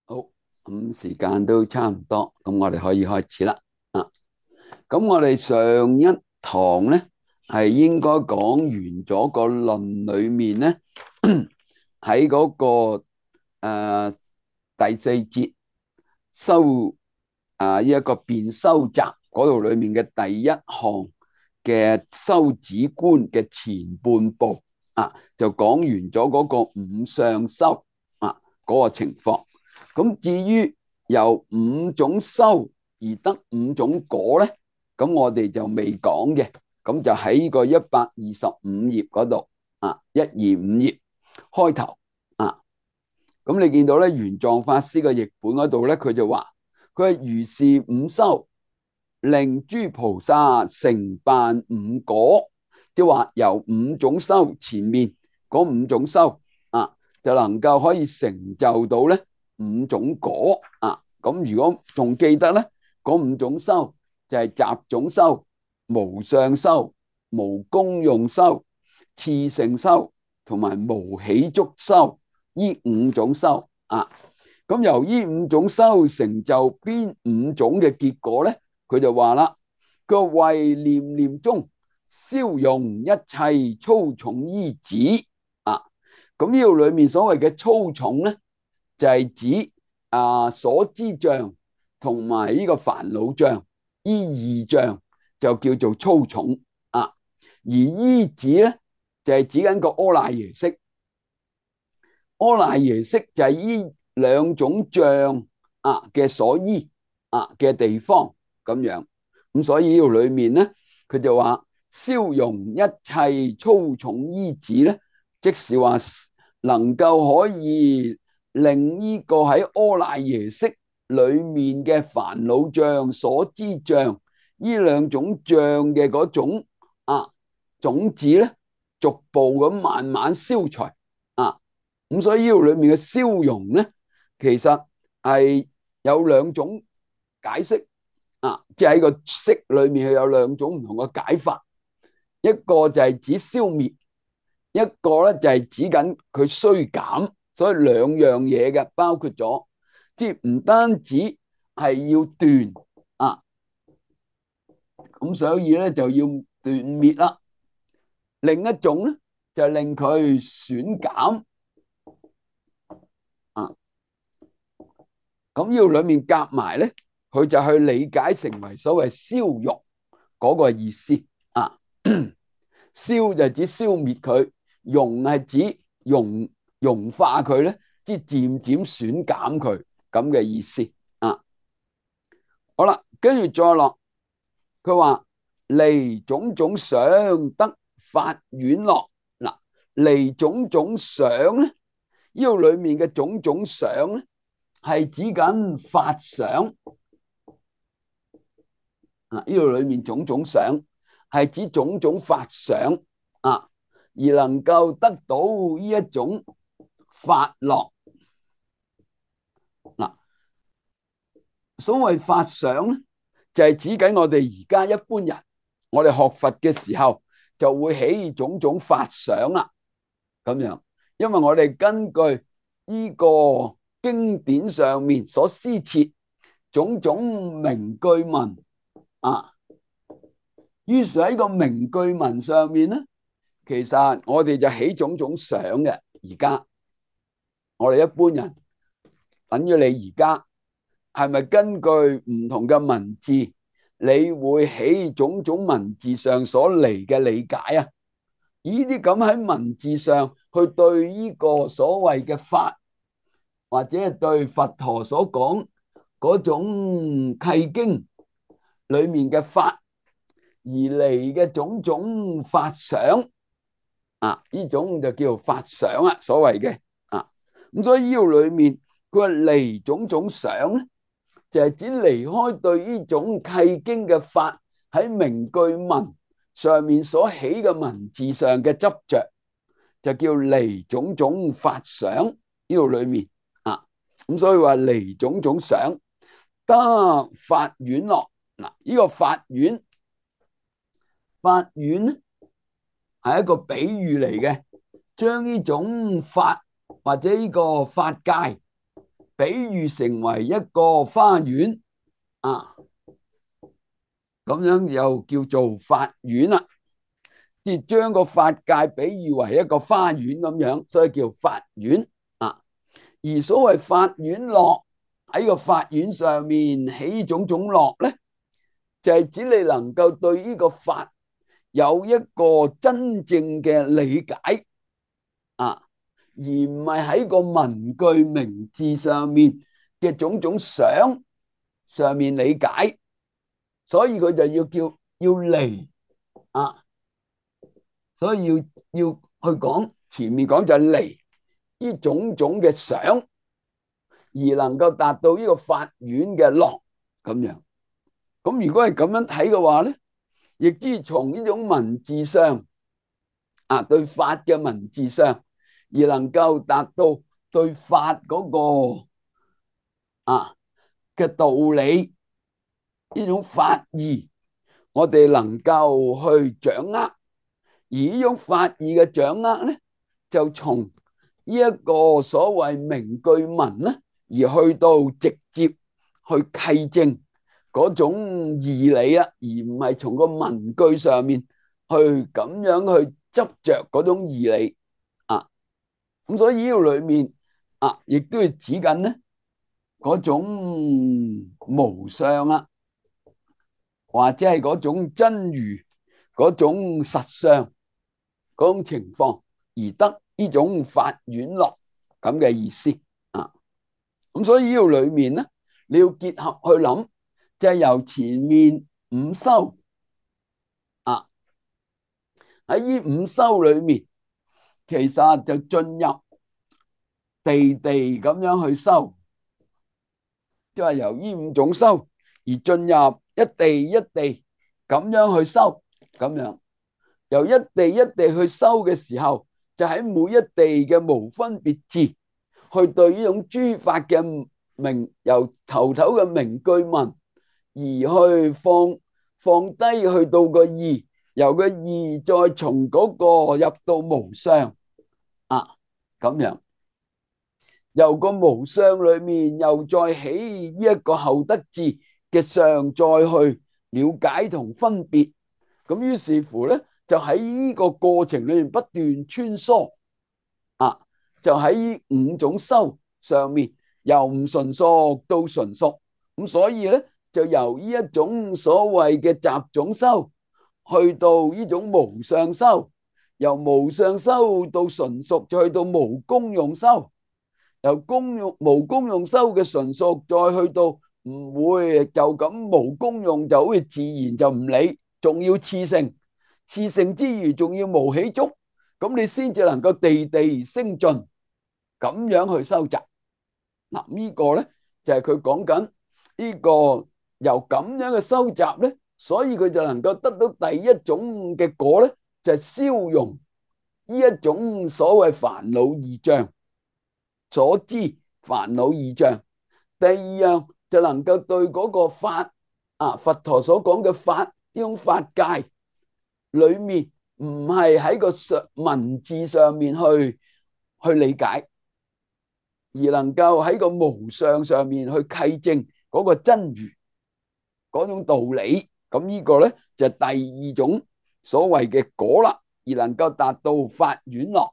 好，咁時間都差唔多，咁我哋可以開始啦。啊，咁我哋上一堂咧係應該講完咗個論裏面咧，喺嗰個誒第四節修呢一個辯修集嗰度裏面嘅第一項嘅修止觀嘅前半部就講完咗嗰個五相修嗰個情況。咁至於由五種修而得五種果咧，咁我哋就未講嘅，咁就喺呢個125頁嗰度125頁開頭咁你見到咧，玄奘法師嘅譯本嗰度咧，佢就話佢係如是五修，令諸菩薩成辦五果，即係話由五種修前面嗰五種修就能夠可以成就到咧五種果咁如果仲記得咧，嗰五種修就係集種修、無相修、無功用修、次性修同埋無起足修，呢五種修咁由呢五種修成就邊五種嘅結果咧？佢就話啦，佢為念念中消融一切粗重依止咁呢度裏面所謂嘅粗重咧，就係指所知障同埋呢個煩惱障，呢二障就叫做粗重而依止咧就係指緊個阿賴耶識，阿賴耶識就係呢兩種障嘅所依嘅地方咁樣。咁所以呢度裏面咧，佢就話消融一切粗重依止咧，即是話能夠可以令呢個喺阿賴耶識裏面嘅煩惱障、所知障呢兩種障嘅嗰種種子咧，逐步咁慢慢消除咁所以呢度裏面嘅消融咧，其實係有兩種解釋即係喺個識裏面有兩種唔同嘅解法，一個就係指消滅，一個咧就係指緊佢衰減，所以兩樣嘢嘅包括咗，即係唔單止係要斷咁所以咧就要斷滅啦。另一種咧就令佢損減咁呢度裏面夾埋咧，佢就去理解成為所謂消融嗰個意思消就指消滅佢，融係指融化佢咧，即係漸漸損減佢咁嘅意思好啦，跟住再落，佢話離種種想得法丸樂離種種想咧，呢度裏面嘅種種想咧，係指緊法想呢度裏面種種想係指種種法想而能夠得到呢一種法樂所謂法想咧，就係指緊我哋而家一般人，我哋學佛嘅時候就會起種種法想咁樣，因為我哋根據呢個經典上面所施設種種名句文於是喺個名句文上面咧，其實我哋就起種種想嘅。而家我哋一般人等於你而家係咪根據唔同嘅文字，你會起種種文字上所嚟嘅理解呢啲咁喺文字上去對呢個所謂嘅法，或者係對佛陀所講嗰種契經裏面嘅法而嚟嘅種種法想呢種就叫做法想所謂嘅咁所以呢度裏面佢話離種種想咧，就係指離開對呢種契經嘅法喺名句文上面所起嘅文字上嘅執着，就叫離種種法想。呢度裏面咁所以話離種種想得法丸樂呢個法丸，法丸咧係一個比喻嚟嘅，將呢種法或者呢個法界比喻成為一個花園啊，咁樣又叫做法院啦。即係將個法界比喻為一個花園咁樣，所以叫法院啊。而所謂法院樂，喺個法院上面起種種樂咧，就係指你能夠對呢個法有一個真正嘅理解啊，而唔係喺個文句名字上面嘅種種想上面理解，所以佢就要離啊，所以要去講前面講就係離呢種種嘅想，而能夠達到呢個法院嘅樂咁樣。咁如果係咁樣睇嘅話咧，亦即係從呢種文字上啊，對法嘅文字上，而能夠達到對法嗰個嘅道理，呢種法義，我哋能夠去掌握。而呢種法義嘅掌握咧，就從呢一個所謂名句文咧，而去到直接去契證嗰種義理啊，而唔係從個文句上面去咁樣去執着嗰種義理啊。咁所以呢個裏面啊，亦都係指緊咧嗰種無相啊，或者係嗰種真如嗰種實相嗰種情況，而得呢種法院樂咁嘅意思啊。咁所以呢個裏面咧，你要結合去諗，就係由前面五修啊，喺呢五修裏面，其實就進入地地咁樣去修，即係由呢五種修而進入一地一地咁樣去修，咁樣由一地一地去修嘅時候，就喺每一地嘅無分別智，去對呢種諸法嘅名，由頭嘅名句文，而去放低去到個義，由個義再從嗰個入到無相啊，咁樣由個無相裏面又再起呢一個後得智嘅相，再去了解同分別。咁於是乎咧，就喺呢個過程裏面不斷穿梭啊，就喺五種修上面由唔純熟到純熟。咁所以咧，就由呢一種所謂嘅雜種修去到呢種無相修，由無相修到純熟，再去到無功用修，由無功用修嘅純熟，再去到唔會就咁無功用，就好似自然就唔理，仲要熾盛，熾盛之餘仲要無起觸，咁你先至能夠地地升進，咁樣去收集。嗱，呢個咧就係佢講緊呢個由咁樣嘅收集咧，所以佢就能夠得到第一種嘅果咧，就係消融呢一種所謂煩惱二障所知煩惱二障。第二樣就能夠對嗰個法啊，佛陀所講嘅法呢種法界裏面，唔係喺個文字上面去理解，而能夠喺個無相上面去契證嗰個真如嗰種道理。咁呢個咧就係第二種所謂嘅果啦，而能夠達到法院樂，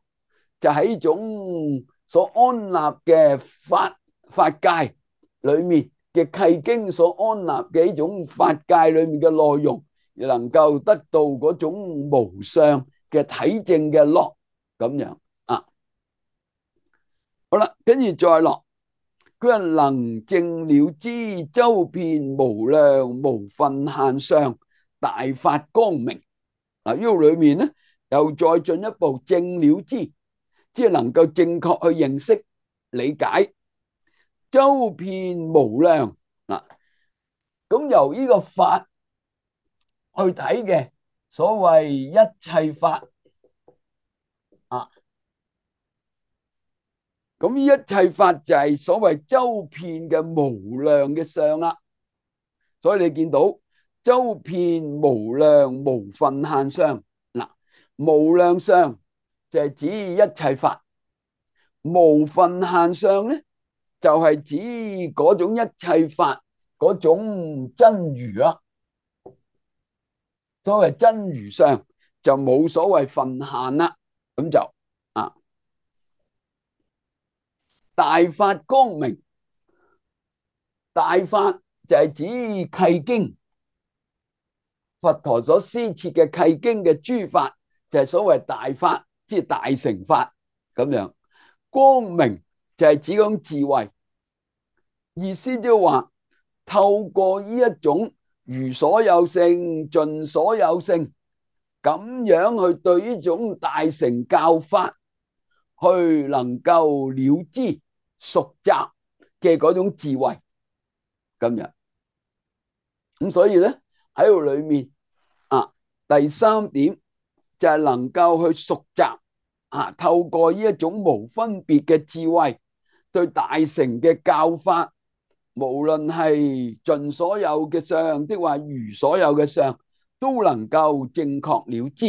就喺呢種所安立嘅法界裏面嘅契經所安立嘅呢種法界裏面嘅內容，而能夠得到嗰種無相嘅體證嘅樂咁樣啊。好啦，跟住再落，佢話能證了知周遍無量無分限相大法光明。嗱，呢個裏面咧又再進一步證了知，即係能夠正確去認識理解周遍無量嗱。咁由呢個法去睇嘅所謂一切法啊，咁呢一切法就係所謂周遍嘅無量嘅相啦。所以你見到周遍無量無分限相嗱，無量相就係指一切法，無分限相咧就係指嗰種一切法嗰種真如啦。所謂真如相就冇所謂分限啦，咁就大法光明，大法就係指契經，佛陀所施設嘅契經嘅諸法就係所謂大法，即係大乘法咁樣。光明就係指嗰種智慧，意思即係話透過呢一種如所有性、盡所有性咁樣去對呢種大乘教法去能夠了知熟習嘅嗰種智慧咁樣。咁所以咧喺度裏面第三點就係能夠去熟習透過呢一種無分別嘅智慧，對大乘嘅教法，無論係盡所有嘅相，的話如所有嘅相，都能夠正確了知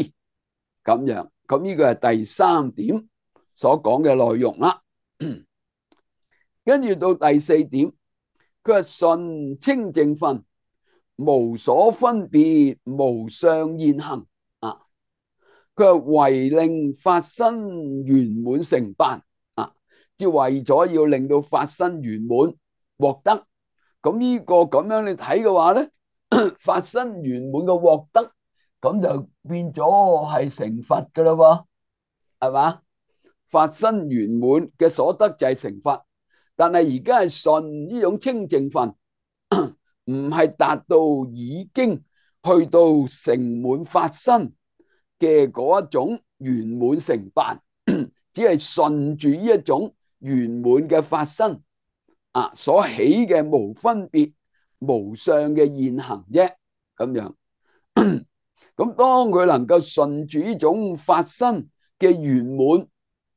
咁樣。咁呢個係第三點所講嘅內容啦。跟住到第四點，佢係純清淨分，無所分別，無相現行佢係為令法身圓滿成辦即係為咗要令到法身圓滿獲得。咁呢個咁樣你睇嘅話咧，法身圓滿嘅獲得，咁就變咗係成佛噶啦喎，係嘛？法身圓滿嘅所得就係成佛，但係而家係順呢種清淨分，唔係達到已經去到成滿法身嘅嗰一種圓滿成辦，只係順住呢一種圓滿嘅法身所起嘅無分別無相嘅現行啫，咁樣。咁當佢能夠順住呢種法身嘅圓滿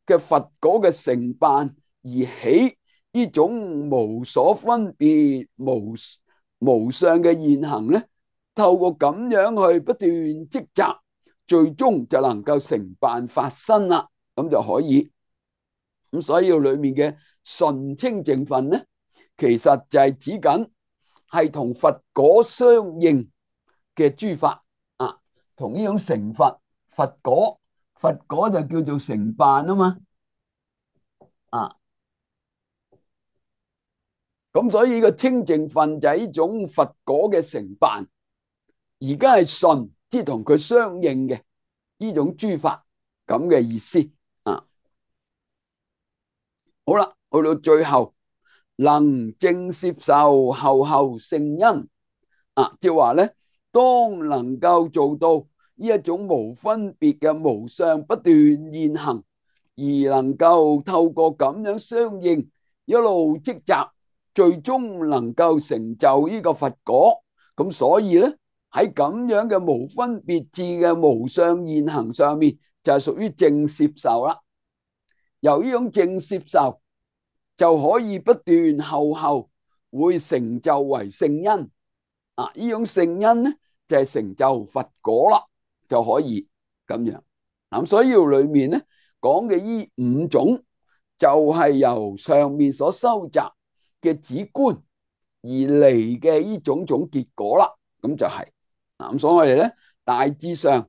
嘅佛果嘅成辦而起呢種無所分別無相嘅現行咧，透過咁樣去不斷積集，最終就能夠成辦法身啦，咁就可以。咁所以裏面嘅純清淨分咧，其實就係指緊係同佛果相應嘅諸法同呢種成佛佛果就叫做成辦啊嘛咁所以呢個清淨分就係呢種佛果嘅成辦，而家係順即係同佢相應嘅呢種諸法咁嘅意思好啦，去到最後能正攝受後後聖因即係話咧，當能夠做到呢一種無分別嘅無相不斷現行，而能夠透過咁樣相應一路積集，最終能夠成就呢個佛果。咁所以咧喺咁樣嘅無分別智嘅無相現行上面，就係屬於正攝受啦。由呢種正攝受就可以不斷後會成就為聖因呢種聖因咧就係成就佛果啦，就可以咁樣。咁所以裏面咧講嘅呢五種就係由上面所收集嘅止觀而嚟嘅呢種種結果啦，咁就係咁。所以我哋咧大致上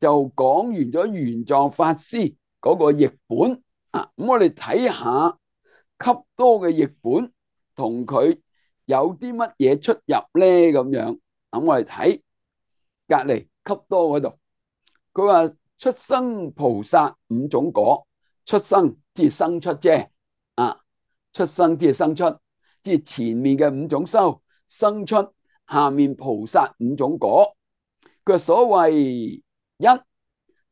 就講完咗玄奘法師嗰個譯本咁我哋睇下笈多嘅譯本同佢有啲乜嘢出入咧？咁樣咁我哋睇隔籬笈多嗰度，佢話出生菩薩五種果，出生即係生出啫出生即係生出，即係前面嘅五種修生出下面菩薩五種果。佢所謂一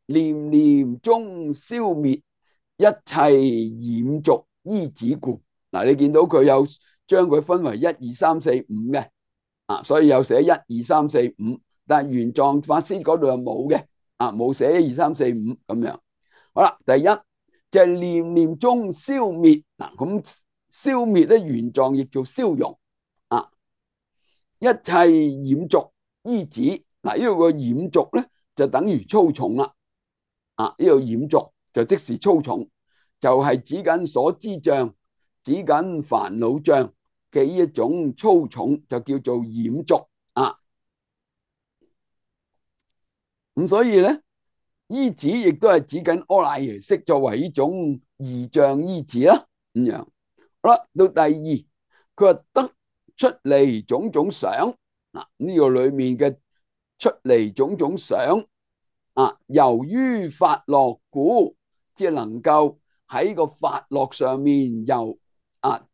念念中消滅一切染濁依止故。你見到佢有將佢分為一二三四五嘅所以有寫一二三四五，但係玄奘法師嗰度又冇嘅冇寫一二三四五咁樣。好啦，第一就係念念中消滅咁消滅咧，玄奘亦做消融一切染濁依止呢度個染濁咧就等於粗重啦呢度染濁就即是粗重，就係指緊所知障，指指緊煩惱障嘅呢一種粗重，就叫做染濁啊。咁所以咧，依止亦都係指緊阿賴耶識作為呢種二障依止啦。咁樣好啦，到第二，佢話得出離種種想嗱，呢個裏面嘅出離種種想啊，由於法樂故，即係能夠喺個法樂上面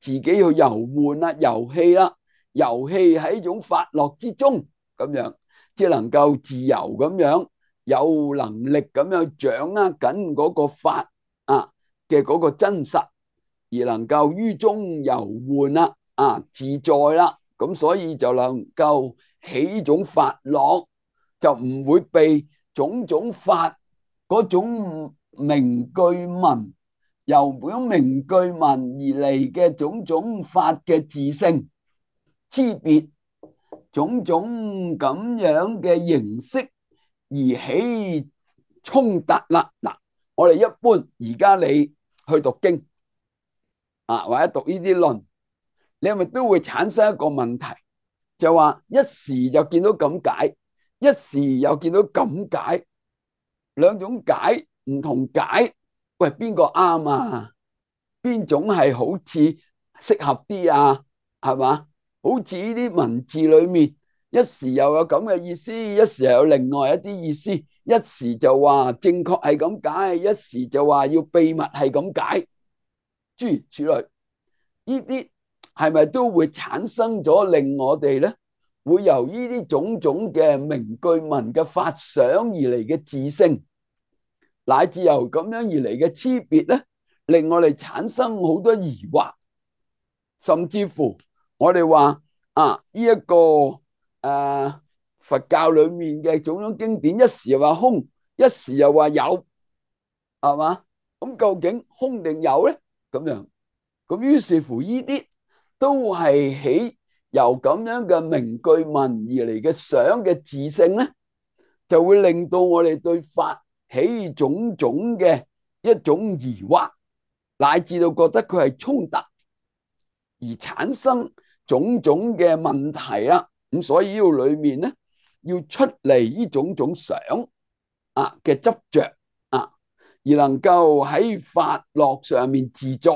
自己去遊玩啦、遊戲啦，遊戲喺一種法樂之中咁樣，即係能夠自由咁樣，有能力咁樣掌握緊嗰個法嘅嗰個真實，而能夠於中遊玩啦自在啦，咁所以就能夠起呢種法樂，就唔會被種種法嗰種名句文，由嗰種名句文而嚟嘅種種法嘅自性差別，種種咁樣嘅形式而起衝突啦。嗱，我哋一般而家你去讀經或者讀呢啲論，你係咪都會產生一個問題，就話一時就見到咁解，一時又見到咁解，兩種解唔同解，喂，邊個啱啊？邊種係好似適合啲啊？係嘛？好似呢啲文字裏面，一時又有咁嘅意思，一時又有另外一啲意思，一時就話正確係咁解，一時就話要秘密係咁解，諸如此類，呢啲係咪都會產生咗令我哋咧，會由呢啲種種嘅名句文嘅發想而嚟嘅自性，乃至由咁樣而嚟嘅差別咧，令我哋產生好多疑惑，甚至乎我哋話呢一個佛教裏面嘅種種經典，一時又話空，一時又話有，係嘛？咁究竟空定有咧？咁樣，咁於是乎呢啲都係起由咁樣嘅名句文而嚟嘅想嘅自性咧，就會令到我哋對法起種種嘅一種疑惑，乃至到覺得佢係衝突，而產生種種嘅問題啦。咁所以呢度裏面咧，要出離呢種種想嘅執着而能夠喺法樂上面自在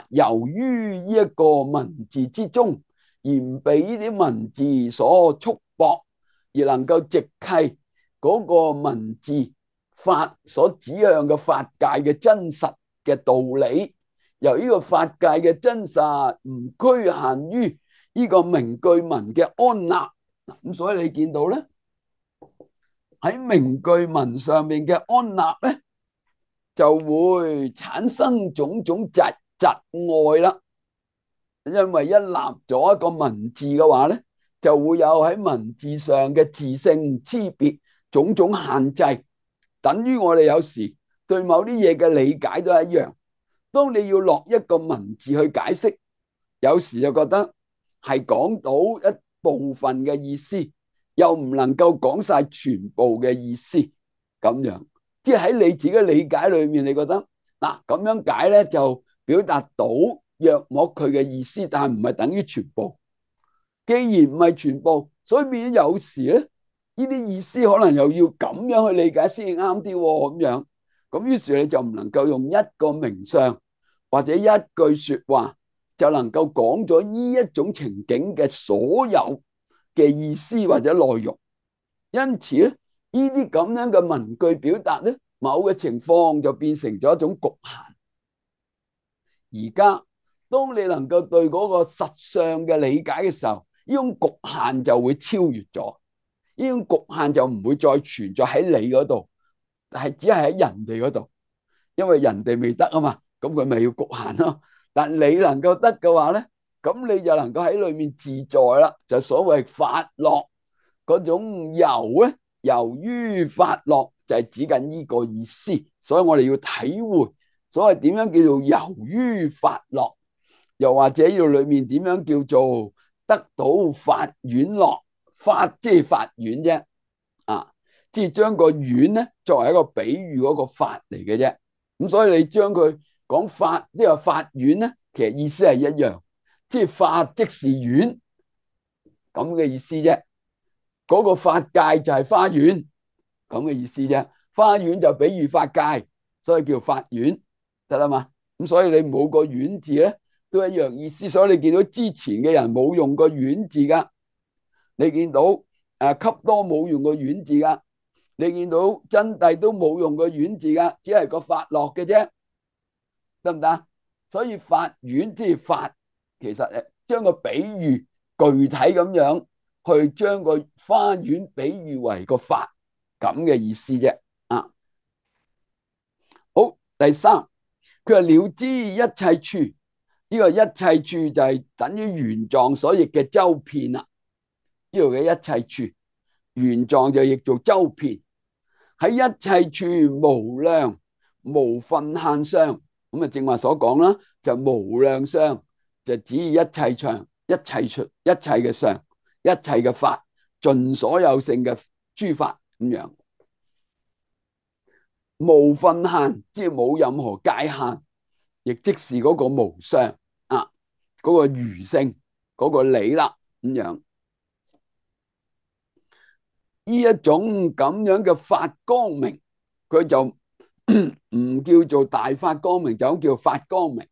由於呢一個文字之中，而唔被呢啲文字所束縛，而能夠直契嗰個文字法所指向嘅法界嘅真實嘅道理，由呢個法界嘅真實唔拘限於呢個名句文嘅安立。咁所以你見到咧，喺名句文上面嘅安立咧，就會產生種種窒礙啦。因為一立咗一個文字嘅話咧，就會有喺文字上嘅自性差別種種限制，等於我哋有時對某啲嘢嘅理解都係一樣。當你要落一個文字去解釋，有時就覺得係講到一部分嘅意思，又唔能夠講晒全部嘅意思，咁樣即係喺你自己嘅理解裏面，你覺得嗱咁樣解咧就表達到約莫佢嘅意思，但係唔係等於全部。既然唔係全部，所以變咗有時咧，呢啲意思可能又要咁樣去理解先至啱啲咁樣。咁於是你就唔能夠用一個名相或者一句說話就能夠講咗呢一種情景嘅所有嘅意思或者內容。因此咧，呢啲咁樣嘅文句表達咧，某嘅情況就變成咗一種局限。而家當你能夠對嗰個實相嘅理解嘅時候，呢種局限就會超越咗，呢種局限就唔會再存在喺你嗰度，係只係喺人哋嗰度，因為人哋未得啊嘛，咁佢咪要局限咯。但你能夠得嘅話咧，咁你就能夠喺裏面自在啦，就所謂法樂嗰種遊咧，由於法樂就係指緊呢個意思，所以我哋要體會所謂點樣叫做遊於法樂，又或者呢度裏面點樣叫做得到法院樂，法即係法院啫，即係將個院咧作為一個比喻嗰個法嚟嘅啫。咁所以你將佢講法，即係法院咧，其實意思係一樣，即係法即是園咁嘅意思啫。嗰個法界就係花園咁嘅意思啫。花園就比喻法界，所以叫法園，得啦嘛。咁所以你冇個園字咧，都一樣意思。所以你見到之前嘅人冇用個園字噶，你見到笈多冇用個園字噶，你見到真諦都冇用個園字噶，只係個法落嘅啫，得唔得？所以法園即係法，其實將個比喻具體咁樣去將個花園比喻為個法咁嘅意思啫。啊，好，第三，佢話了知一切處，呢個一切處就係等於玄奘所譯嘅周遍啦。呢度嘅一切處，玄奘就譯做周遍，喺一切處無量無分限相。咁啊，正話所講啦，就無量相就指一切相、一切處、一切嘅相、一切嘅法，盡所有性嘅諸法咁樣。無分限，即係冇任何界限，亦即是嗰個無相啊，嗰個如性，嗰個理啦咁樣。呢一種咁樣嘅法光明，佢就唔叫做大法光明，就叫法光明。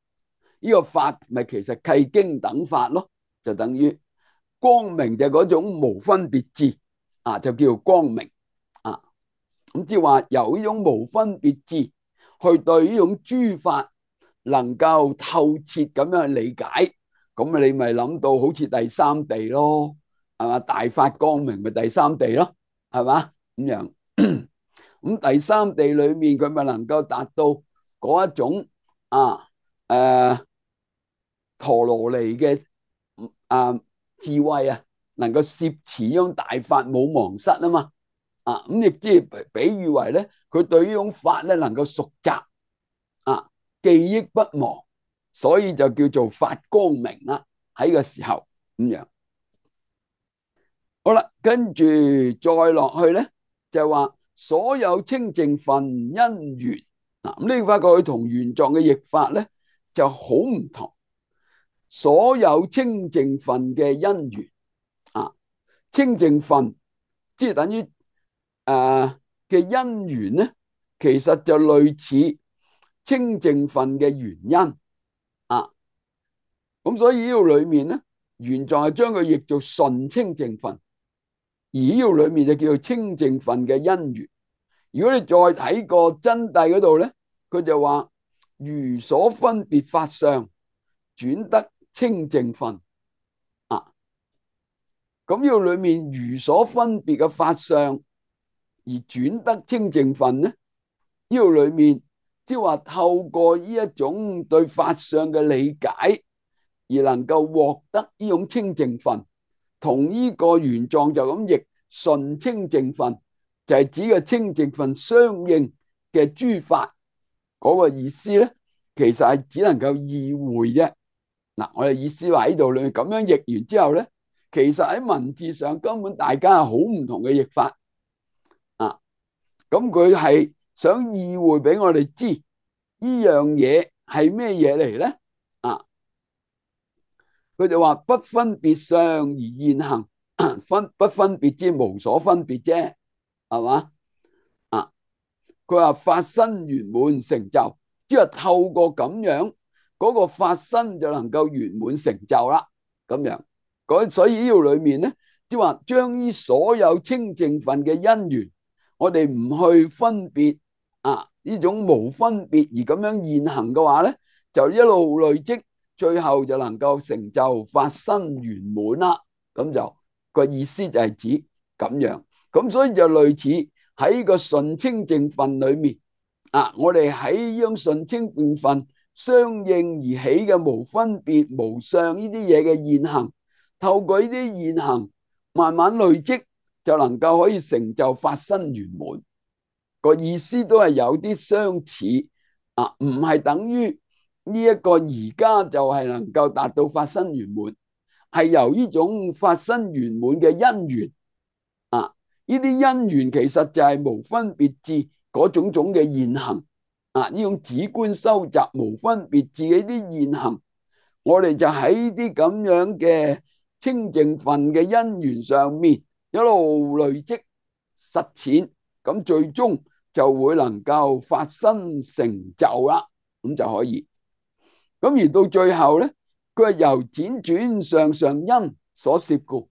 呢個法咪其實契經等法咯，就等於光明就嗰種無分別智啊，就叫光明啊。咁即係話由呢種無分別智去對呢種諸法能夠透徹咁樣去理解，咁你咪諗到好似第三地咯，係嘛？大法光明咪第三地咯，係嘛？咁樣咁第三地裏面佢咪能夠達到嗰一種陀羅尼嘅智慧啊，能夠攝持呢種大法冇忘失啊嘛。咁亦即係比喻為咧，佢對呢種法咧能夠熟習記憶不忘，所以就叫做法光明啦。喺個時候咁樣，好啦，跟住再落去咧，就話所有清淨分因緣。咁你發覺佢同玄奘嘅譯法咧就好唔同。所有清淨分嘅因緣清淨分即係等於嘅因緣咧，其實就類似清淨分嘅原因咁所以呢度裏面咧，玄奘係將佢譯做純清淨分，而呢度裏面就叫做清淨分嘅因緣。如果你再睇個真諦嗰度咧，佢就話如所分別法相轉得清淨分咁呢度裏面如所分別嘅法相而轉得清淨分咧，呢度裏面即係話透過呢一種對法相嘅理解而能夠獲得呢種清淨分，同呢個玄奘就咁譯純清淨分，就係指個清淨分相應嘅諸法嗰個意思咧，其實係只能夠意會啫。我哋意思話喺度裏面咁樣譯完之後咧，其實喺文字上根本大家係好唔同嘅譯法咁佢係想意會俾我哋知呢樣嘢係咩嘢嚟咧？佢就話不分別相而現行，不分別之無所分別啫，係嘛？佢話法身圓滿成就，即係透過咁樣嗰個法身就能夠圓滿成就啦。咁樣，所以呢度裏面咧，即係話將呢所有清淨分嘅因緣，我哋唔去分別呢種無分別而咁樣現行嘅話咧，就一路累積，最後就能夠成就法身圓滿啦。咁就個意思就係指咁樣，咁所以就類似喺個純清淨分裏面我哋喺呢種純清淨分相應而起嘅無分別無相呢啲嘢嘅現行，透過呢啲現行慢慢累積，就能夠可以成就法身圓滿。個意思都係有啲相似唔係等於呢一個而家就係能夠達到法身圓滿，係由呢種法身圓滿嘅因緣呢啲因緣其實就係無分別智嗰種種嘅現行呢種止觀收集無分別智嘅呢啲現行，我哋就喺啲咁樣嘅清淨分嘅因緣上面一路累積實踐，咁最終就會能夠發生成就啦，咁就可以。咁而到最後咧，佢係由輾轉上上因所攝故，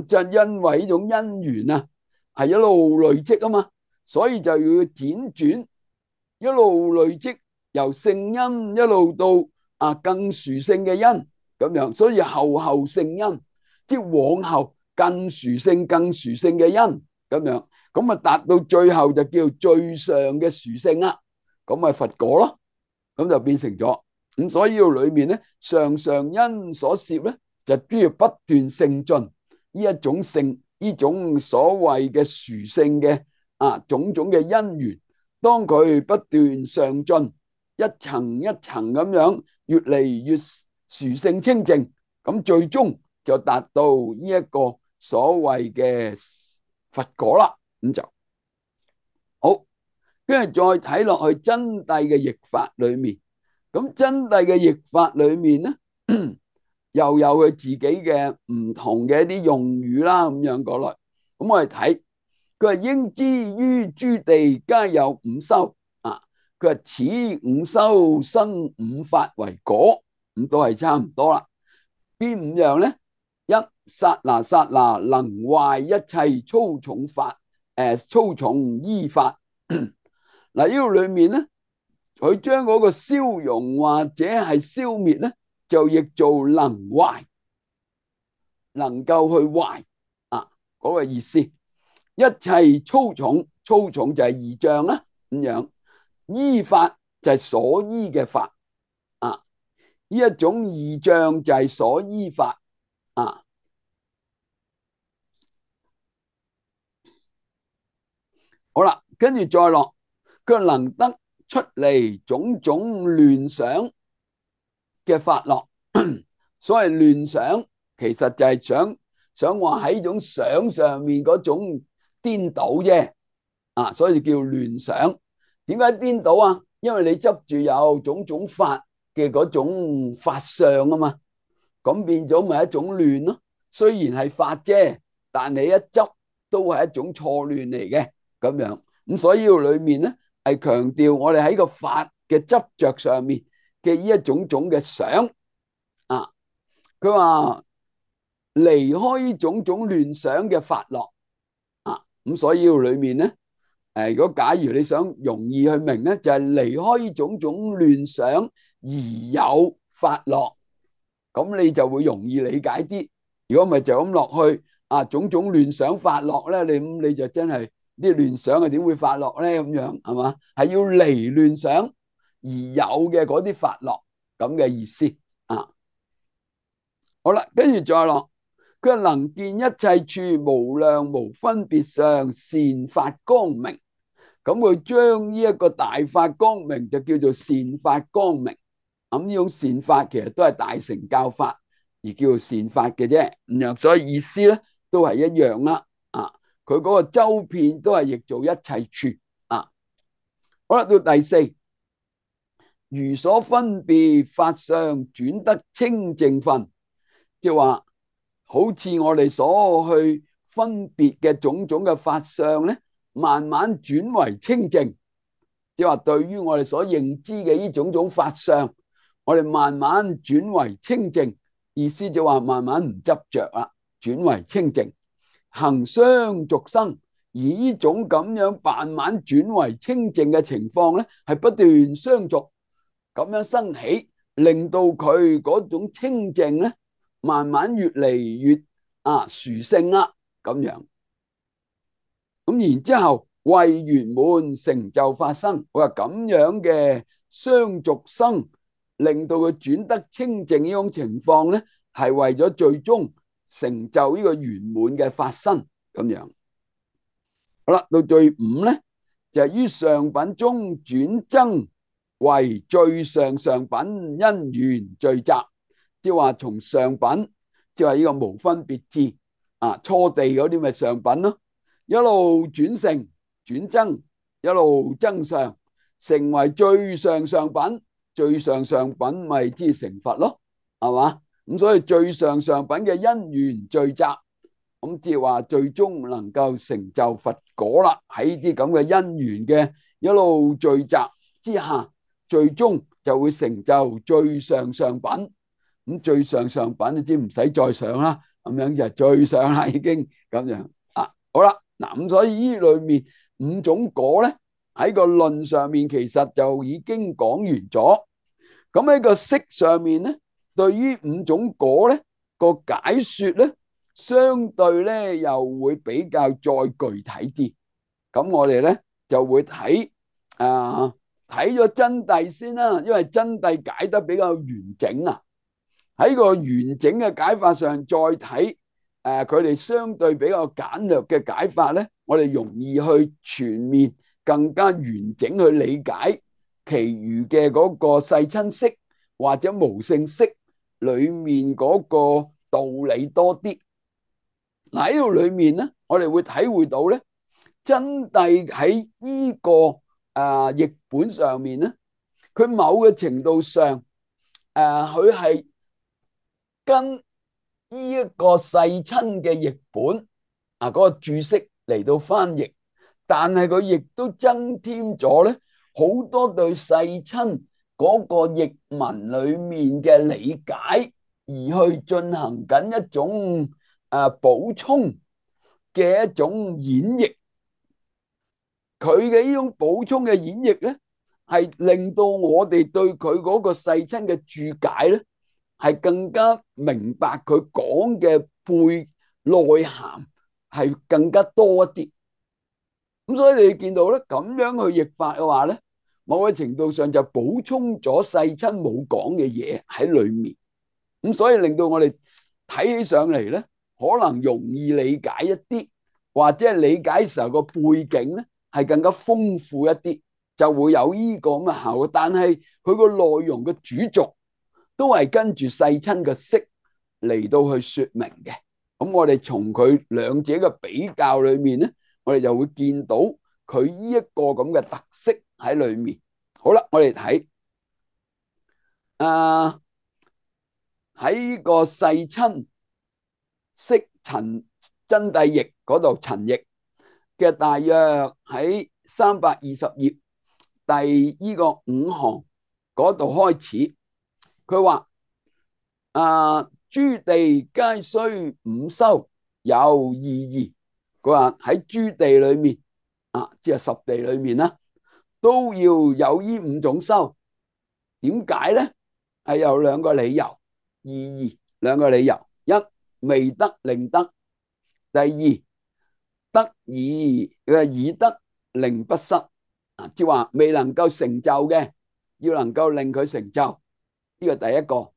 即係因為呢種因緣啊，係一路累積啊嘛，所以就要輾轉一路累積，由聖因一路到更殊勝嘅因咁樣，所以後後聖因，即往後更殊勝、更殊勝嘅因咁樣，咁啊達到最後就叫最上嘅殊勝啦，咁咪佛果咯，咁就變成咗。咁所以要裏面咧，上上因所攝咧，就都要不斷勝進呢一種勝，呢種所謂嘅殊勝嘅種種嘅因緣，當佢不斷上進，一層一層咁樣越嚟越殊勝清淨，咁最終就達到呢一個所謂嘅佛果啦。咁就好，跟住再睇落去真諦嘅譯法裏面。咁真諦嘅譯法裏面咧，又有佢自己嘅唔同嘅一啲用語啦，咁樣過來。咁我哋睇，佢係應知於諸地皆有五修啊。佢話此五修生五法為果，咁都係差唔多啦。邊五樣咧？一剎那剎那能壞一切粗重法，粗重依法。嗱，呢個裏面咧，佢將嗰個消融或者係消滅咧，就譯做能壞，能夠去壞嗰個意思。一切粗重，粗重就係義象啦，咁樣依法就係所依嘅法呢一種義象就係所依法好啦，跟住再落，佢能得出嚟種種亂想嘅法樂。所謂亂想，其實就係想話喺種想上面嗰種顛倒啫，所以叫亂想。點解顛倒啊？因為你執住有種種法嘅嗰種法相啊嘛，咁變咗咪一種亂咯。雖然係法啫，但你一執都係一種錯亂嚟嘅咁樣。咁所以裏面咧係強調我哋喺個法嘅執着上面嘅呢一種種嘅想佢話離開呢種種亂想嘅法樂咁所以裏面咧如果假如你想容易去明咧，就係離開呢種種亂想而有法樂，咁你就會容易理解啲。如果唔係就咁落去種種亂想法樂咧，你就真係啲亂想係點會法樂咧？咁樣係嘛？係要離亂想而有嘅嗰啲法樂咁嘅意思好啦，跟住再落，佢能見一切處無量無分別相善法光明。咁佢將呢一個大法光明就叫做善法光明。咁呢種善法其實都係大乘教法而叫做善法嘅啫。咁樣所以意思咧都係一樣啦。佢嗰個周遍都係譯做一切處好啦，到第四，如所分別法相轉得清淨分，即係話好似我哋所去分別嘅種種嘅法相咧，慢慢轉為清淨。即係話對於我哋所認知嘅呢種種法相，我哋慢慢轉為清淨，意思就話慢慢唔執着啦，轉為清淨，行相續生。而呢種咁樣慢慢轉為清淨嘅情況咧，係不斷相續咁樣生起，令到佢嗰種清淨咧，慢慢越嚟越殊勝啦，咁樣。咁然之後為圓滿成就法生，我話咁樣嘅相續生，令到佢轉得清淨呢種情況咧，係為咗最終成就呢個圓滿嘅法生咁樣。好啦，到最五咧，就係於上品中轉增為最上上品因緣聚集，即係話從上品，即係話呢個無分別智初地嗰啲咪上品咯，一路轉成轉增，一路增上，成為最上上品，最上上品咪即係成佛咯。係嘛？咁所以最上上品嘅因緣聚集，咁即係話最終能夠成就佛果啦。喺呢啲咁嘅因緣嘅一路聚集之下，最終就會成就最上上品。咁最上上品你知唔使再上啦，咁樣就最上啦，已經咁樣啊。好啦，嗱咁所以呢裏面五種果咧，喺個論上面其實就已經講完咗。咁喺個釋上面咧，對於五種果咧個解說咧，相對咧又會比較再具體啲。咁我哋咧就會睇睇咗真諦先啦，因為真諦解得比較完整啊。喺個完整嘅解法上，再睇佢哋相對比較簡略嘅解法咧，我哋容易去全面、更加完整去理解其餘嘅嗰個世親釋或者無性釋裏面嗰個道理多啲。嗱，喺度裏面咧，我哋會體會到咧，真諦喺呢個譯本上面咧，佢某個程度上佢係跟呢一個世親嘅譯本嗰個注釋嚟到翻譯，但係佢亦都增添咗咧好多對世親嗰個譯文裏面嘅理解，而去進行緊一種補充嘅一種演繹。佢嘅呢種補充嘅演繹咧，係令到我哋對佢嗰個世親嘅注解咧，係更加明白佢講嘅背內涵係更加多一啲。咁所以你見到咧，咁樣去譯法嘅話咧，某個程度上就補充咗世親冇講嘅嘢喺裏面。咁所以令到我哋睇起上嚟咧，可能容易理解一啲，或者係理解時候個背景咧係更加豐富一啲，就會有呢個咁嘅效果。但係佢個內容嘅主軸都係跟住世親嘅釋嚟到去說明嘅。咁我哋從佢兩者嘅比較裏面咧，我哋就會見到佢呢一個咁嘅特色喺裏面。好啦，我哋睇喺個世親釋陳真諦譯嗰度，陳譯嘅大約喺320頁第呢個5行嗰度開始，佢話諸地皆須五修有意義。佢話喺諸地裏面即係十地裏面啦，都要有呢五種修。點解咧？係有兩個理由，意義兩個理由：一未得令得，第二得以得令不失。即係話未能夠成就嘅，要能夠令佢成就，呢個第一個。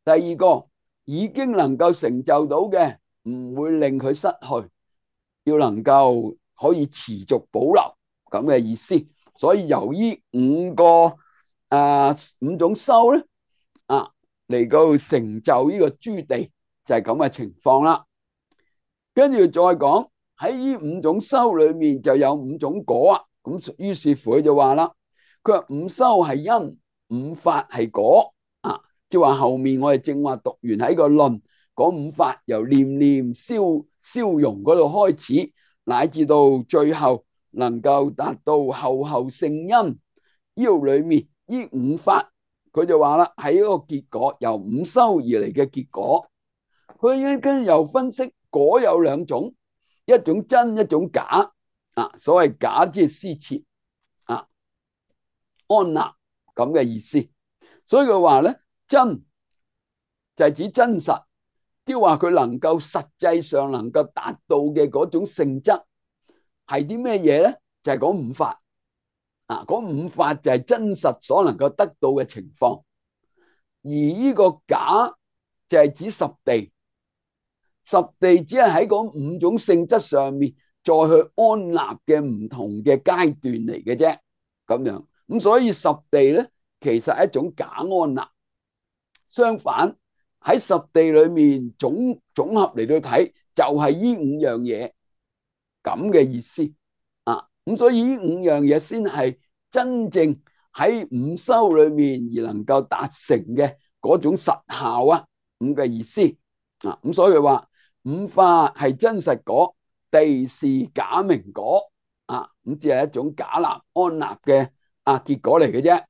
第二個已經能夠成就到嘅，唔會令佢失去，要能夠可以持續保留咁嘅意思。所以由於五種修咧嚟到成就呢個諸地，就係咁嘅情況啦。跟住再講喺呢五種修裏面就有五種果啊。咁於是乎佢就話啦，佢話五修係因，五法係果即係話後面我哋正話讀完喺個論講五法，由念念消融嗰度開始，乃至到最後能夠達到後後聖因。呢度裏面呢五法，佢就話啦，係一個結果，由五修而嚟嘅結果。佢跟住又分析果有兩種，一種真，一種假所謂假即係施設安立咁嘅意思。所以佢話咧，真就係指真實，即係話佢能夠實際上能夠達到嘅嗰種性質係啲咩嘢咧？就係嗰五法嗰五法就係真實所能夠得到嘅情況。而呢個假就係指十地，十地只係喺嗰五種性質上面再去安立嘅唔同嘅階段嚟嘅啫，咁樣。咁所以十地咧，其實係一種假安立。相反喺十地裏面總合嚟到睇，就係呢五樣嘢咁嘅意思咁所以呢五樣嘢先係真正喺五修裏面而能夠達成嘅嗰種實效啊，咁嘅意思啊。咁所以話五法係真實果，地是假名果啊，咁只係一種假立安立嘅結果嚟嘅啫。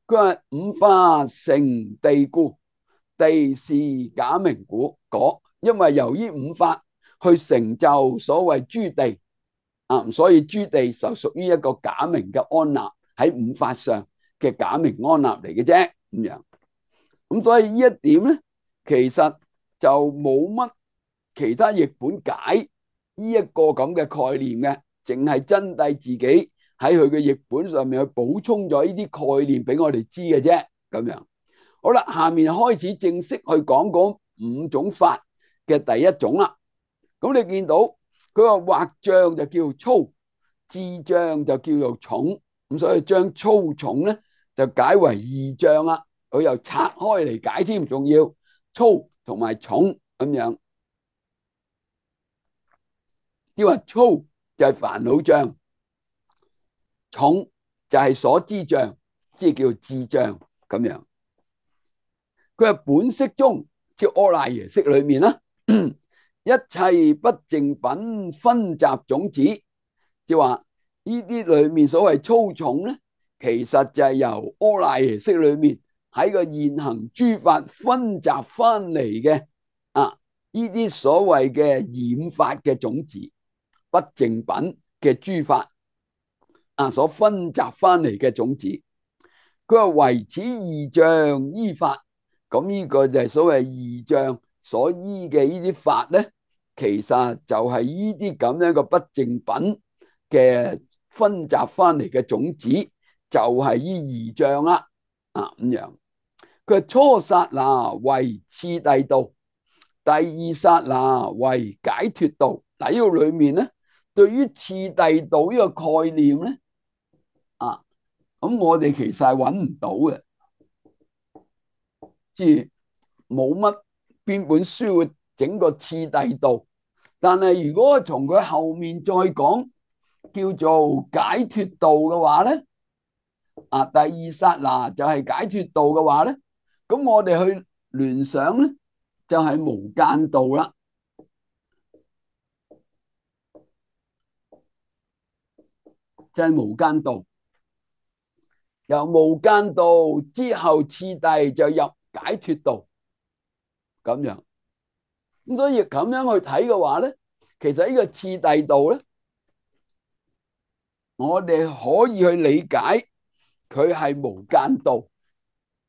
佢話五法成地故，地是假名果，因為由於五法去成就所謂諸地啊，所以諸地就屬於一個假名嘅安立，喺五法上嘅假名安立嚟嘅啫，咁樣。咁所以呢一點咧，其實就冇乜其他譯本解呢一個咁嘅概念嘅，淨係真諦自己喺佢嘅譯本上面去補充咗呢啲概念俾我哋知嘅啫，咁樣。好啦，下面開始正式去講講五種法嘅第一種啦。咁你見到佢話畫像就叫粗，智像就叫做重，咁所以將粗重咧就解為二像啦。佢又拆開嚟解添，仲要粗同埋重咁樣。要話粗就係煩惱像，重就係所知像，即係叫智像咁樣。佢係本釋中，即係阿賴耶識裏面啦，一切不淨品分集種子，即係話呢啲裏面所謂粗重咧，其實就係由阿賴耶識裏面喺個現行諸法分集翻嚟嘅呢啲所謂嘅染法嘅種子，不淨品嘅諸法所分集翻嚟嘅種子。佢話唯此二像依法，咁呢個就係所謂二像所依嘅呢啲法咧，其實就係呢啲咁樣嘅不淨品嘅分集翻嚟嘅種子，就係呢二像啦咁樣。佢初剎那為次第道，第二剎那為解脫道。嗱，呢個裏面咧，對於次第道呢個概念咧，咁我哋其實係揾唔到嘅，即係冇乜邊本書會整個次第道。但係如果從佢後面再講叫做解脫道嘅話咧，第二剎那就係解脫道嘅話咧，咁我哋去聯想咧就係無間道啦，就係無間道。由無間道之後次第就入解脫道咁樣。咁所以咁樣去睇嘅話咧，其實呢個次第道咧，我哋可以去理解佢係無間道，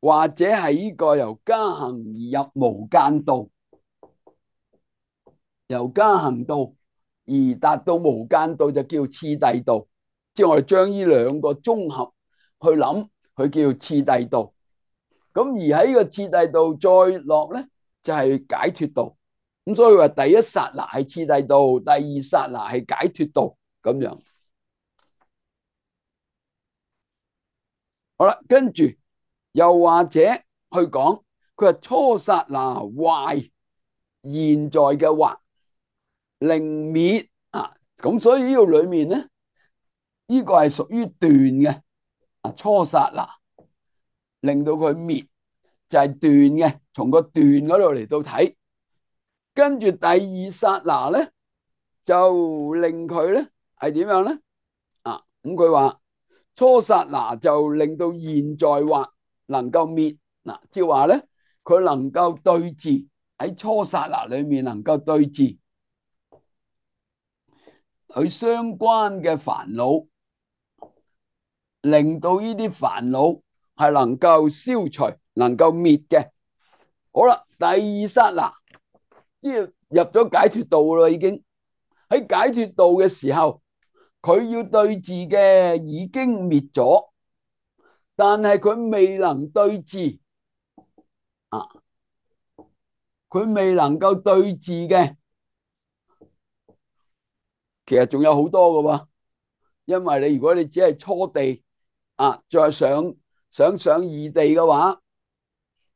或者係呢個由加行而入無間道，由加行道而達到無間道就叫次第道。即係我哋將呢兩個綜合去諗，佢叫次第道。咁而喺呢個次第道再落咧，就係解脫道。咁所以話第一剎那係次第道，第二剎那係解脫道咁樣。好啦，跟住又或者去講，佢話初剎那壞現在嘅惑令滅咁所以呢個裏面咧，呢個係屬於斷嘅初剎那令到佢滅就係斷嘅，從個斷嗰度嚟到睇。跟住第二剎那咧就令佢咧係點樣咧咁佢話初剎那就令到現在惑能夠滅即係話咧佢能夠對治，喺初剎那裏面能夠對治佢相關嘅煩惱，令到呢啲煩惱係能夠消除，能夠滅嘅。好啦，第二剎那即係入咗解脫道啦，已經喺解脫道嘅時候，佢要對治嘅已經滅咗，但係佢未能對治佢未能夠對治嘅，其實仲有好多㗎喎。因為如果你只係初地再想上二地嘅話，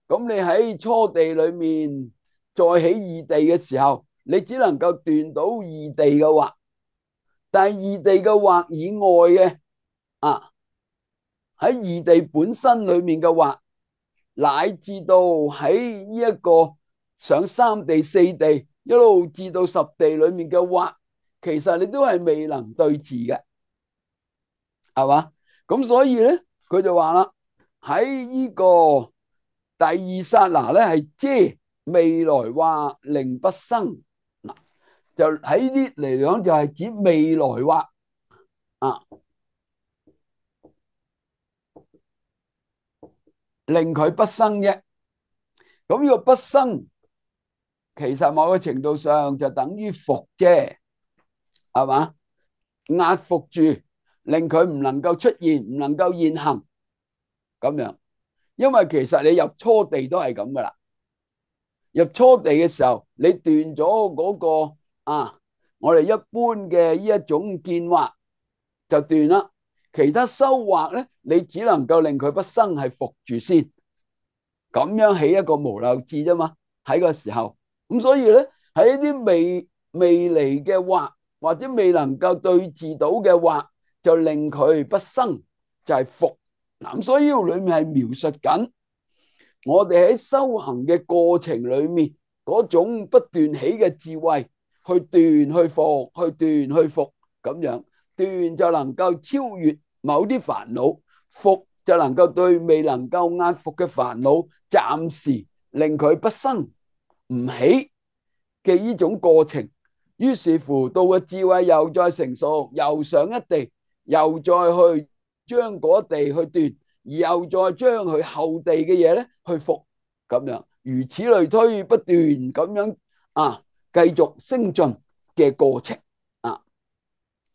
咁你喺初地裏面再起二地嘅時候，你只能夠斷到二地嘅惑，但係二地嘅惑以外嘅喺二地本身裏面嘅惑，乃至到喺呢一個上三地四地一路至到十地裏面嘅惑，其實你都係未能對治嘅，係嘛？咁所以咧，佢就話啦，喺呢個第二剎那咧，係遮未來惑令不生。嗱，就喺呢啲嚟講，就係指未來惑啊，令佢不生啫。咁呢個不生，其實某個程度上就等於伏啫，係嘛？壓伏住，令佢唔能夠出現，唔能夠現行咁樣。因為其實你入初地都係咁噶啦，入初地嘅時候，你斷咗嗰個我哋一般嘅呢一種見惑就斷啦。其他修惑咧，你只能夠令佢不生，係伏住先，咁樣起一個無漏智啫嘛。喺個時候，咁所以咧，喺一啲未嚟嘅惑，或者未能夠對治到嘅惑，就令佢不生，就係伏。嗱，咁所以呢度裏面係描述緊我哋喺修行嘅過程裏面嗰種不斷起嘅智慧，去斷去伏，去斷去伏，咁樣斷就能夠超越某啲煩惱，伏就能夠對未能夠壓伏嘅煩惱暫時令佢不生唔起嘅呢種過程。於是乎到個智慧又再成熟，又上一地，又再去將嗰地去斷，而又再將佢後地嘅嘢咧去伏，咁樣如此類推，不斷咁樣繼續升進嘅過程啊。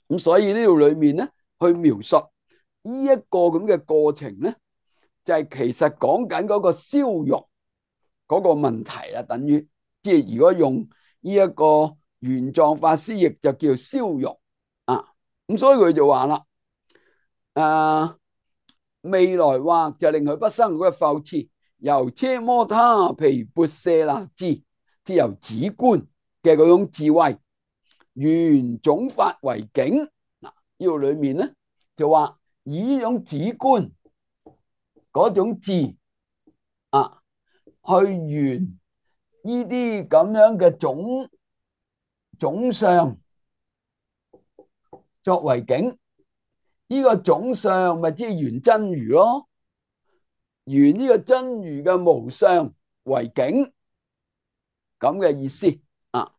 咁所以呢度裏面咧去描述呢一個咁嘅過程咧，就係其實講緊嗰個消融嗰個問題啦，等於即係如果用呢一個玄奘法師譯就叫消融啊。咁所以佢就話啦，未來惑就令佢不生嗰個復次，由奢摩他毗缽舍那智，即由止觀嘅嗰種智慧，緣總法為境。嗱，呢度裏面咧就話以呢種止觀嗰種智去緣呢啲咁樣嘅總相作為境。呢個總相咪即係緣真如咯，緣呢個真如嘅無相為境，咁嘅意思啊。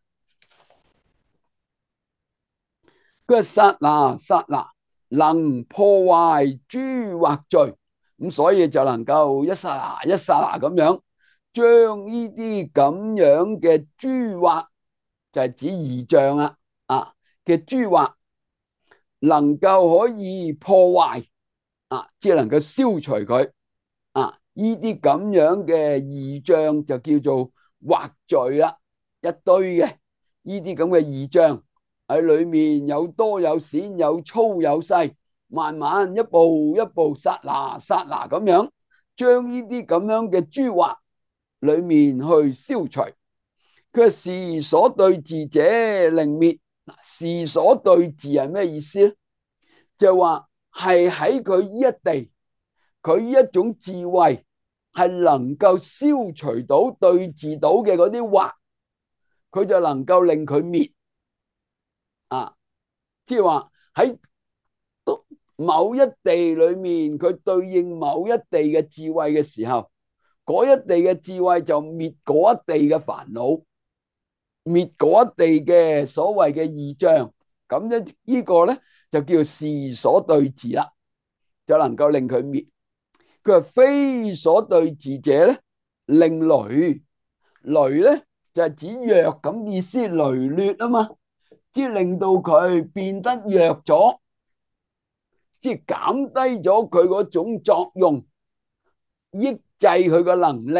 佢話剎那剎那能破壞諸惑罪，咁所以就能夠一剎那一剎那咁樣將呢啲咁樣嘅諸惑，就係指異象嘅諸惑，能夠可以破壞即係能夠消除佢呢啲咁樣嘅異象，就叫做惑罪啦。一堆嘅呢啲咁嘅異象喺裏面有多有少，有粗有細，慢慢一步一步剎那剎那咁樣將呢啲咁樣嘅諸惑裏面去消除。佢係時所對治者令滅。時所對治係咩意思咧？就話係喺佢呢一地，佢呢一種智慧係能夠消除到對治到嘅嗰啲惑，佢就能夠令佢滅即係話喺某一地裏面，佢對應某一地嘅智慧嘅時候，嗰一地嘅智慧就滅嗰一地嘅煩惱，滅嗰一地嘅所謂嘅異象。咁咧呢個咧就叫時所對治啦，就能夠令佢滅。佢話非所對治者咧，令羸。羸咧就係指弱咁意思，羸劣啊嘛，即係令到佢變得弱咗，即係減低咗佢嗰種作用，抑制佢個能力，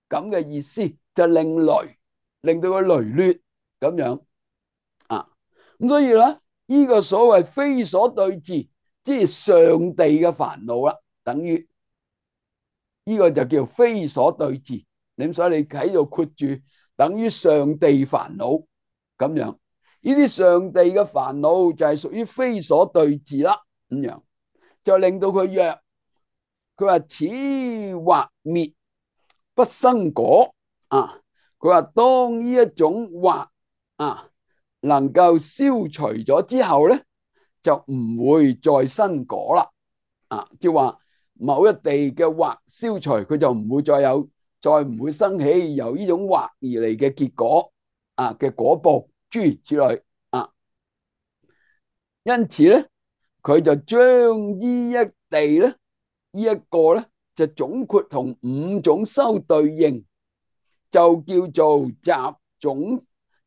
咁嘅意思就令羸，令到佢羸劣咁樣咁所以咧呢個所謂非所對治，即係上地嘅煩惱啦，等於呢個就叫非所對治。咁所以你喺度括住等於上地煩惱咁樣，呢啲上地嘅煩惱就係屬於非所對治啦，咁樣就令到佢弱。佢話此惑滅不生果啊。佢話當呢一種惑啊能夠消除咗之後咧，就唔會再生果啦。啊，即係話某一地嘅惑消除，佢就唔會再唔會生起由呢種惑而嚟嘅結果啊嘅果報諸如此類啊。因此咧，佢就將呢一地咧，呢一個咧就總括同五種修對應，就叫做集總，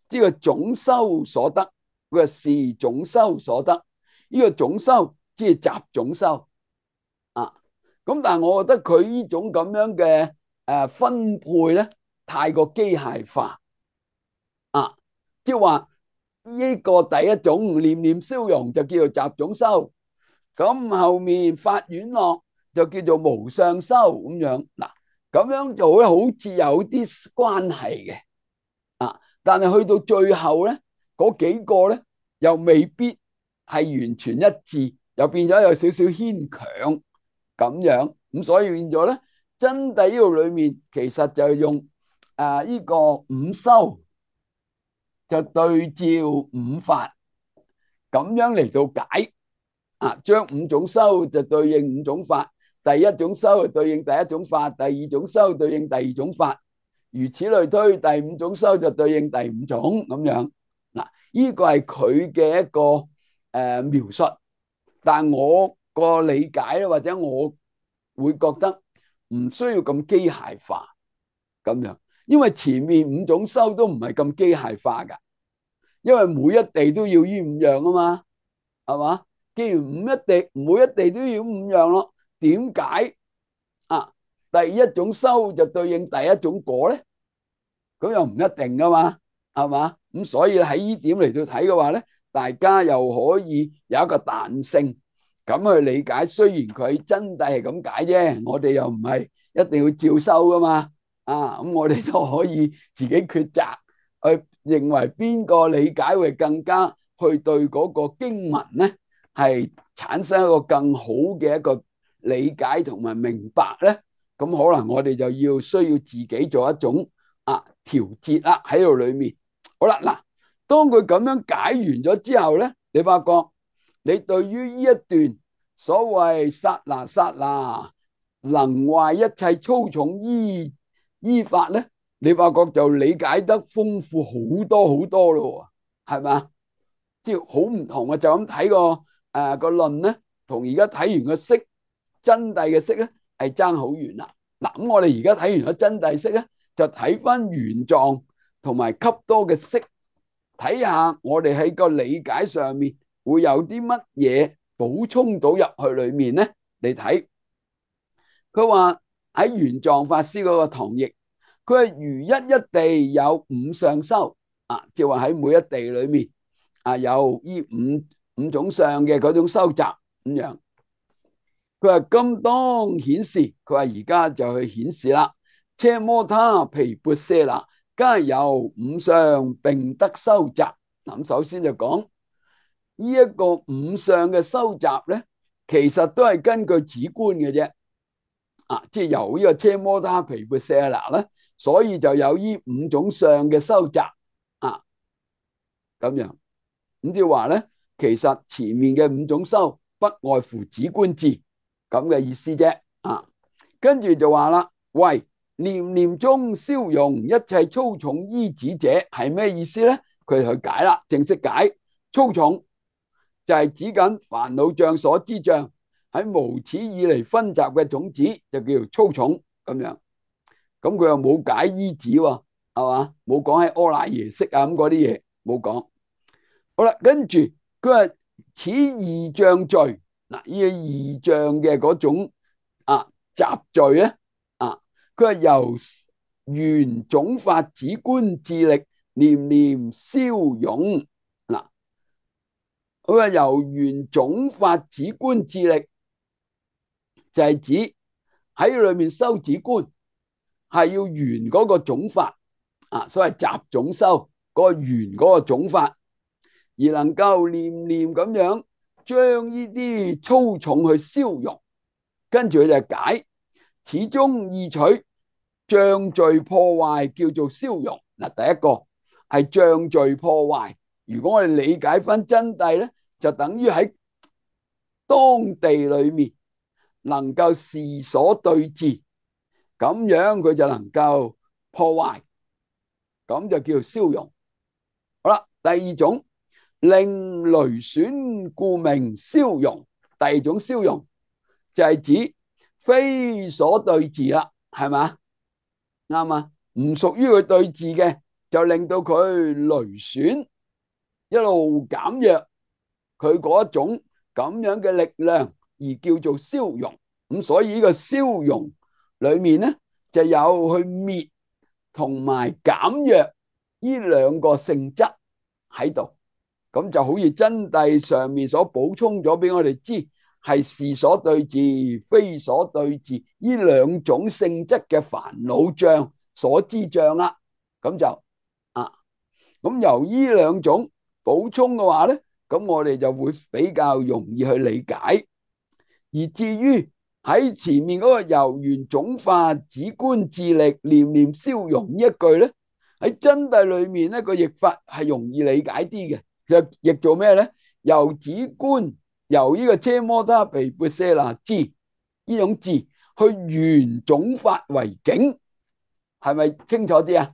呢個總修所得，佢話是總修所得。呢個總修即係集總修啊。咁但係我覺得佢呢種咁樣嘅分配咧，太過機械化啊，即係話呢個第一種念念消融就叫做集總修，咁後面發願樂就叫做無相修咁樣。嗱，咁樣就會好似有啲關係嘅啊，但係去到最後咧，嗰幾個咧又未必係完全一致，又變咗有少少牽強咁樣。咁所以變咗咧，真諦呢度裏面其實就用呢個五修就對照五法咁樣嚟到解啊，將五種修就對應五種法，第一種修就對應第一種法，第二種修對應第二種法，如此類推，第五種修就對應第五種咁樣。嗱，呢個係佢嘅一個描述，但係我個理解咧，或者我會覺得唔需要咁機械化咁樣，因為前面五種修都唔係咁機械化噶，因為每一地都要呢五樣啊嘛，係嘛？既然每一地都要五樣咯，點解啊第一種修就對應第一種果咧？咁又唔一定噶嘛，係嘛？咁所以喺呢點嚟到睇嘅話咧，大家又可以有一個彈性咁去理解。雖然佢真諦係咁解啫，我哋又唔係一定要照收噶嘛。啊，咁我哋都可以自己抉擇去認為邊個理解會更加去對嗰個經文咧係產生一個更好嘅一個理解同埋明白咧。咁可能我哋就需要自己做一種調節啦喺度裏面。好啦，嗱，當佢咁樣解完咗之後咧，你發覺你對於呢一段所謂剎那剎那能壞一切粗重依法咧，你發覺就理解得豐富好多好多咯，係咪？即係好唔同啊！就咁睇個論咧，同而家睇完個釋真諦嘅釋咧，係爭好遠啦。嗱，咁我哋而家睇完咗真諦釋咧，就睇翻原狀同埋笈多嘅釋，睇下我哋喺個理解上面會有啲乜嘢補充到入去裏面咧嚟睇。佢話喺原狀法師嗰個堂譯，佢係如一地有五相修啊，即係話喺每一地裏面有呢五種相嘅嗰種修習咁樣。佢話今當顯示，佢話而家就去顯示啦。奢摩他毗缽舍那，皆由五相並得修習。咁首先就講呢一個五相嘅修習咧，其實都係根據止觀嘅啫。即係由呢個奢摩他毗缽舍那咧，所以就有呢五種相嘅修習咁樣。咁即係話咧，其實前面嘅五種修不外乎止觀智咁嘅意思啫。跟住就話啦，喂，念念中消融一切粗重依止者係咩意思咧？佢去解啦，正式解粗重就係指緊煩惱障所知障喺無始以嚟分集嘅種子，就叫做粗重咁樣。咁佢又冇解依止喎，係嘛？冇講喺阿賴耶識啊咁嗰啲嘢冇講。好啦，跟住佢話此二障罪，嗱，呢個二障嘅嗰種雜罪咧，佢係由緣總法止觀智力念念消融。嗱，佢話由緣總法止觀智力就係指喺裏面修止觀係要緣嗰個總法所謂集總修嗰個緣嗰個總法，而能夠念念咁樣將呢啲粗重去消融。跟住佢就解始終意取障罪破壞叫做消融。嗱，第一個係障罪破壞。如果我哋理解翻真諦咧，就等於喺當地裏面能夠視所對治，咁樣佢就能夠破壞，咁就叫做消融。好啦，第二種令雷損故名消融。第二種消融就係指非所對治啦，係嘛？啱啊，唔屬於佢對治嘅，就令到佢雷損，一路減弱佢嗰一種咁樣嘅力量，而叫做消融。咁所以呢個消融裏面咧，就有去滅同埋減弱呢兩個性質喺度。咁就好似真諦上面所補充咗俾我哋知，係是所對治、非所對治呢兩種性質嘅煩惱障、所知障啦。咁就咁由呢兩種補充嘅話咧，咁我哋就會比較容易去理解。而至於喺前面嗰個由緣種法止觀自力念念消融呢一句咧，喺真諦裏面咧個譯法係容易理解啲嘅，就譯做咩咧？由止觀，由呢個奢摩他毗缽舍那智呢種智去緣種法為境，係咪清楚啲啊？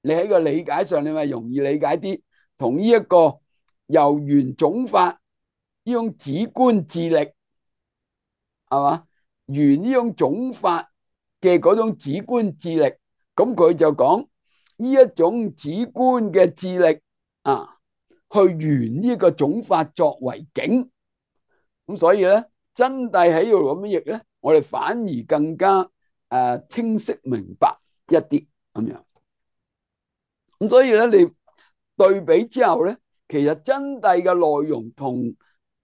你喺個理解上，你咪容易理解啲，同呢一個由緣種法呢種止觀自力，係嘛？緣呢種種法嘅嗰種止觀自力，咁佢就講呢一種止觀嘅自力去緣呢個種法作為境。咁所以咧，真諦喺度咁樣譯咧，我哋反而更加清晰明白一啲咁樣。咁所以咧，你對比之後咧，其實真諦嘅內容同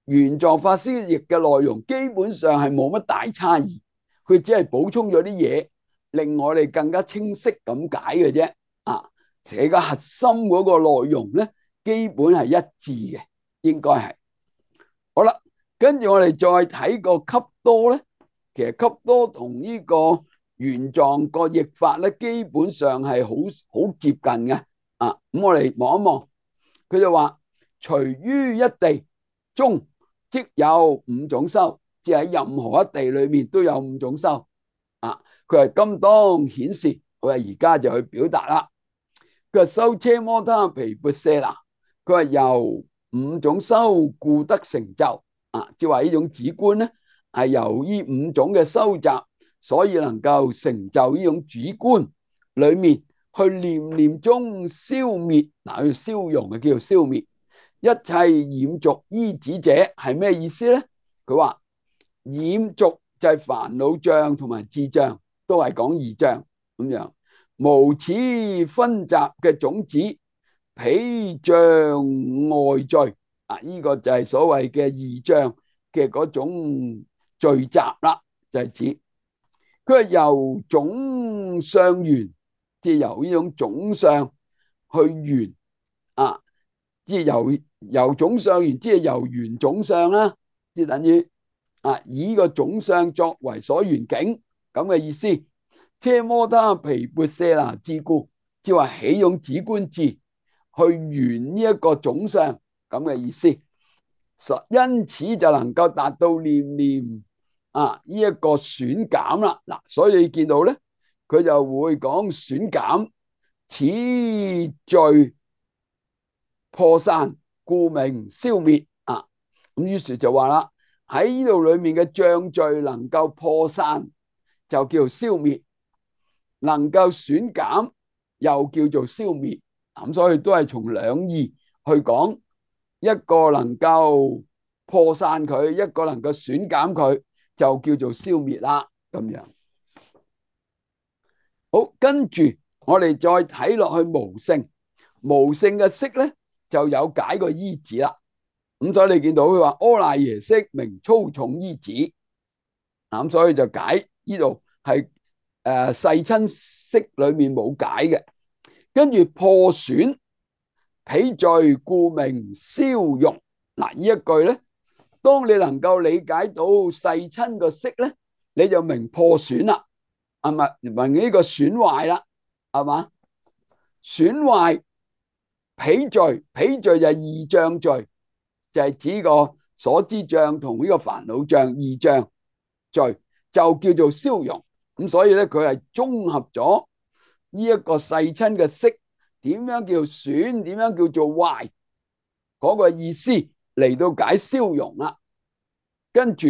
玄奘法師譯嘅內容基本上係冇乜大差異，佢只係補充咗啲嘢，令我哋更加清晰咁解嘅啫。而個核心嗰個內容咧，基本係一致嘅，應該係。好啦，跟住我哋再睇個笈多咧，其實笈多同呢個玄奘個譯法咧，基本上係好接近嘅。咁我哋望一望，佢就話隨於一地中，即有五種修，即係喺任何一地裏面都有五種修。佢係今當顯示，佢話而家就去表達啦。佢話修奢摩他毗缽舍那，佢話由五種修故得成就。即係話呢種止觀咧，係由呢五種嘅修習，所以能夠成就呢種止觀裏面去念念中消滅。去消融嘅叫做消滅一切染濁依止者，係咩意思咧？佢話染濁就係煩惱障同埋智障，都係講二障咁樣。無此分集嘅種子，彼障外罪。呢個就係所謂嘅二障嘅嗰種聚集啦，就係指佢係由種相緣，即係由呢種種相去緣即係由種相緣，即係由緣種相啦，即係等於以呢個種相作為所緣境咁嘅意思。奢摩他毗缽舍那智故，即係話起用止觀智去緣呢一個種相咁嘅意思。因此就能夠達到念念呢一個損減啦。所以你見到咧，佢就會講損減，此罪破散，故名消滅。咁於是就話啦，喺呢度裏面嘅障罪能夠破散，就叫做消滅；能夠損減，又叫做消滅。咁所以都係從兩義去講。一個能夠破散佢，一個能夠損減佢，就叫做消滅啦。咁樣好，跟住我哋再睇落去無性，無性嘅色咧就有解個依止啦。咁所以你見到佢話阿賴耶識名粗重依止，咁所以就解呢度係世親識裏面冇解嘅。跟住破損彼罪故名消融。呢一句咧，當你能夠理解到世親個識咧，你就明破損啦。係咪問呢個損壞啦？係嘛？損壞彼罪，彼罪就係異象罪，就係指個所知障同呢個煩惱障異象罪，就叫做消融。咁所以咧，佢係綜合咗呢一個世親嘅色，點樣叫損，點樣叫做壞嗰個意思嚟到解消融啦。跟住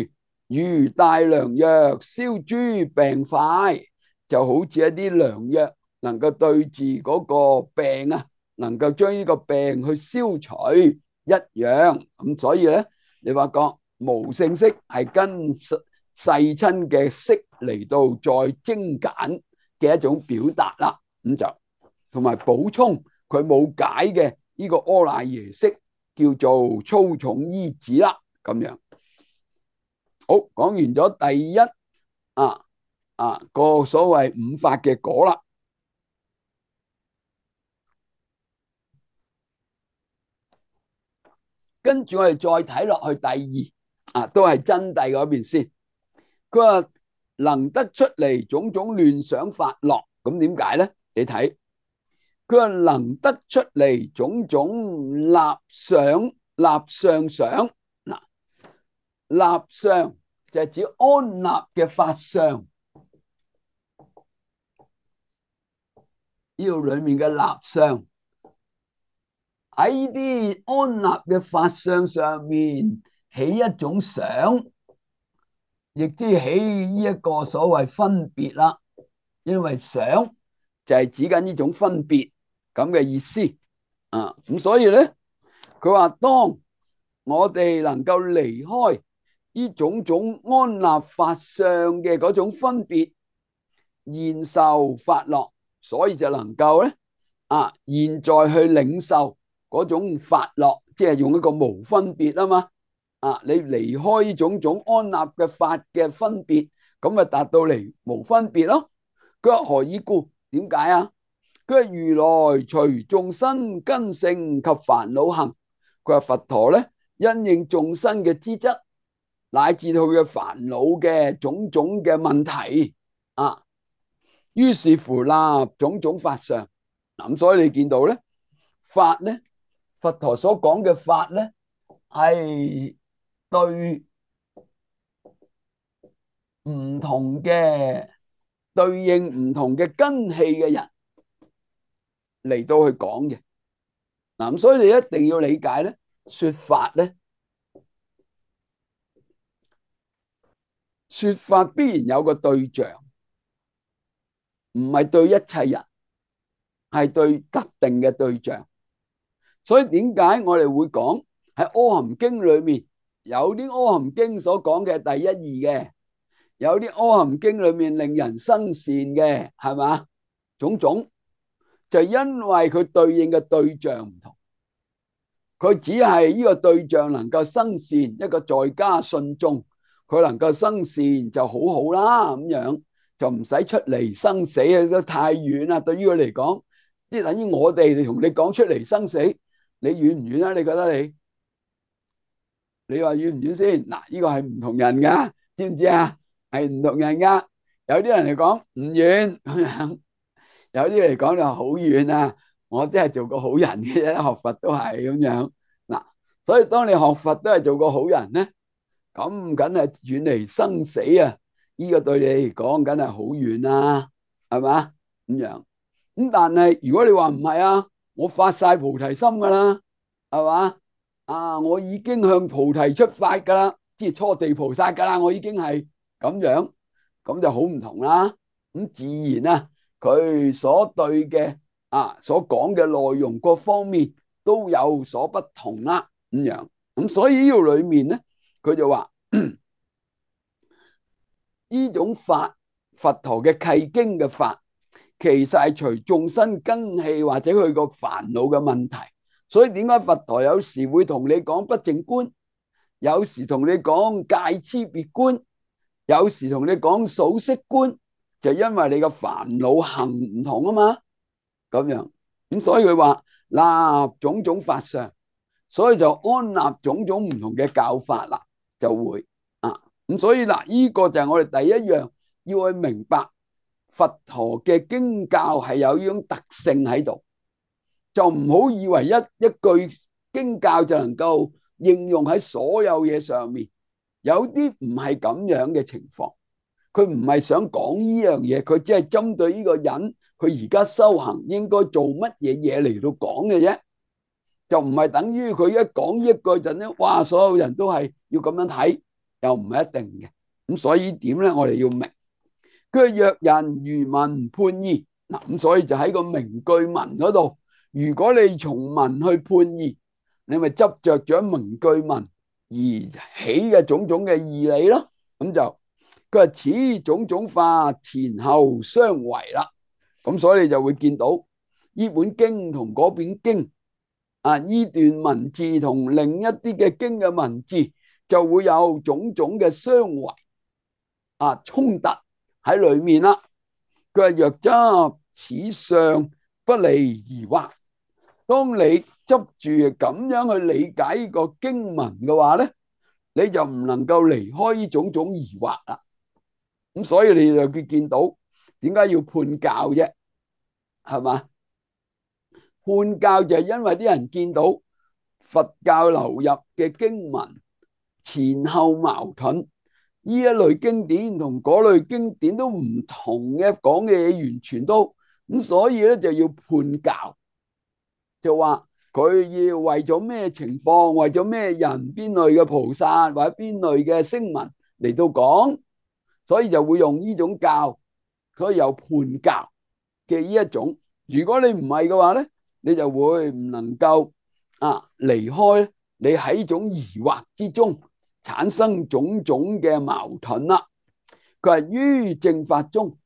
如大良藥，消諸病快，就好似一啲良藥，能夠對住嗰個病啊，能夠將呢個病去消除一樣。咁所以咧，你發覺無性色係跟世親嘅色嚟到再精簡嘅一種表達啦。咁就同埋補充佢冇解嘅呢個阿賴耶識叫做粗重依止啦。咁樣好，講完咗第一個所謂五法嘅果啦。跟住我哋再睇落去第二都係真諦嗰邊先。佢話能得出嚟種種亂想法樂，咁點解咧？你睇佢話能得出嚟種種立想立相想。嗱，立相就係指安立嘅法相，呢度裏面嘅立相喺呢啲安立嘅法相上面起一種想，亦都起呢一個所謂分別啦。因為想就係指緊呢種分別咁嘅意思咁所以咧，佢話當我哋能夠離開呢種種安立法相嘅嗰種分別，現受法樂，所以就能夠咧現在去領受嗰種法樂，即係用一個無分別啊嘛。你離開呢種種安立嘅法嘅分別，咁咪達到嚟無分別咯。佢話何以故？點解啊？佢話如來隨眾生根性及煩惱行。佢話佛陀咧，因應眾生嘅資質，乃至到佢嘅煩惱嘅種種嘅問題於是乎立種種法相。咁所以你見到咧，法咧，佛陀所講嘅法咧，係對唔同嘅對應唔同嘅根器嘅人嚟到去講嘅。咁所以你一定要理解咧，說法咧，說法必然有個對象，唔係對一切人，係對特定嘅對象。所以點解我哋會講喺阿含經裏面有啲阿含經所講嘅第一義嘅，有啲阿含經裏面令人生善嘅，係嘛？種種就因為佢對應嘅對象唔同，佢只係呢個對象能夠生善，一個在家信眾，佢能夠生善就好好啦，咁樣就唔使出嚟生死啊，都太遠啦。對於佢嚟講，即係等於我哋同你講出嚟生死，你遠唔遠啊？你覺得你話遠唔遠先？嗱，呢個係唔同人噶，知唔知啊？係唔同人噶。有啲人嚟講唔遠咁樣，有啲嚟講就好遠啊。我都係做個好人嘅啫，學佛都係咁樣嗱。所以當你學佛都係做個好人咧，咁梗係遠離生死啊！呢個對你嚟講梗係好遠啦，係嘛咁樣咁？但係如果你話唔係啊，我發晒菩提心噶啦，係嘛我已經向菩提出發噶啦，即係初地菩薩噶啦，我已經係咁樣，咁就好唔同啦。咁自然啊，佢所對嘅所講嘅內容各方面都有所不同啦，咁樣咁所以呢個裏面咧，佢就話呢種法，佛陀嘅契經嘅法，其實係隨眾生根器或者佢個煩惱嘅問題。所以點解佛陀有時會同你講不淨觀，有時同你講戒差別觀，有時同你講數息觀，就因為你個煩惱行唔同啊嘛，咁樣咁所以佢話立種種法相，所以就安立種種唔同嘅教法啦，就會咁所以嗱，呢個就係我哋第一樣要去明白佛陀嘅經教係有呢種特性喺度，就唔好以為一句經教就能夠應用喺所有嘢上面，有啲唔係咁樣嘅情況。佢唔係想講呢樣嘢，佢只係針對呢個人，佢而家修行應該做乜嘢嘢嚟到講嘅啫，就唔係等於佢一講呢一句就咧，哇！所有人都係要咁樣睇，又唔係一定嘅。咁所以點咧，我哋要明。佢若人如文判義嗱，咁所以就喺個名句文嗰度，如果你從文去判義，你咪執着咗名句文而起嘅種種嘅義理咯。咁就佢話此種種法前後相違啦。咁所以你就會見到呢本經同嗰本經啊，呢段文字同另一啲嘅經嘅文字就會有種種嘅相違啊，衝突喺裏面啦。佢話若執此相不離疑惑，當你執住咁樣去理解呢個經文嘅話咧，你就唔能夠離開呢種種疑惑啦。咁所以你就見到點解要判教啫？係嘛？判教就係因為啲人見到佛教流入嘅經文前後矛盾，呢一類經典同嗰類經典都唔同嘅，講嘅嘢完全都咁，所以咧就要判教，就話佢要為咗咩情況，為咗咩人，邊類嘅菩薩或者邊類嘅聲聞嚟到講，所以就會用呢種教，所以有判教嘅呢一種。如果你唔係嘅話咧，你就會唔能夠離開你喺呢種疑惑之中產生種種嘅矛盾啦。佢話於正法中，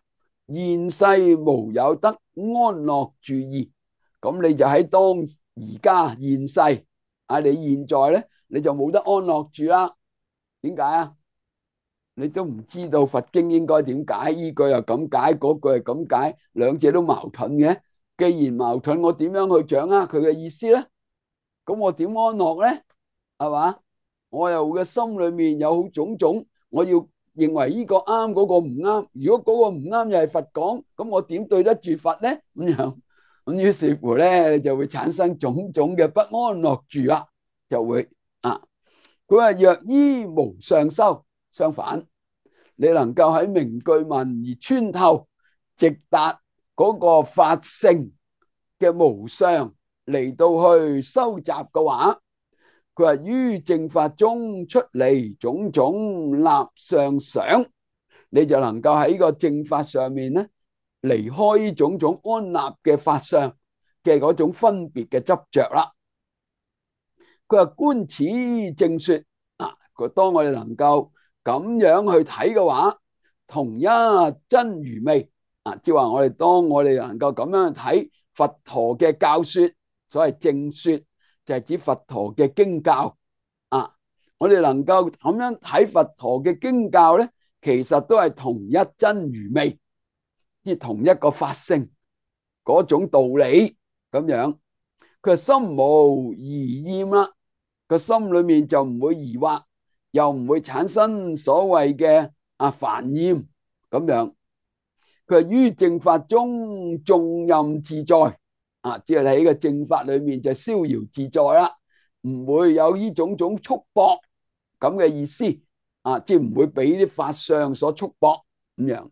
現世無有得安樂住意。咁你就喺當而家現世你現在咧，你就冇得安樂住啦。點解啊？你都唔知道佛經應該點解，呢句又咁解，嗰句又咁解，兩者都矛盾嘅。既然矛盾，我點樣去掌握佢嘅意思咧？咁我點安樂咧？係嘛？我又嘅心裏面有種種，我要認為呢個啱，嗰個唔啱。如果嗰個唔啱又係佛講，咁我點對得住佛咧？咁樣咁於是乎咧，你就會產生種種嘅不安樂住啦，就會佢話若依無上修，相反，你能夠喺名句文而穿透，直達嗰個法性嘅無上嚟到去收集嘅話，佢話於正法中出離種種立相想，你就能夠喺個正法上面咧離開呢種種安立嘅法相嘅嗰種分別嘅執着啦。佢話觀此正說當我哋能夠咁樣去睇嘅話，同一真如味即係話我哋當我哋能夠咁樣去睇佛陀嘅教說，所謂正說就係指佛陀嘅經教我哋能夠咁樣睇佛陀嘅經教咧，其實都係同一真如味，即係同一個法性嗰種道理咁樣。佢心無疑厭啦，個心裏面就唔會疑惑，又唔會產生所謂嘅煩厭咁樣。佢於正法中縱任自在即係喺個正法裏面就逍遙自在啦，唔會有呢種種束縛咁嘅意思即係唔會俾啲法相所束縛咁樣。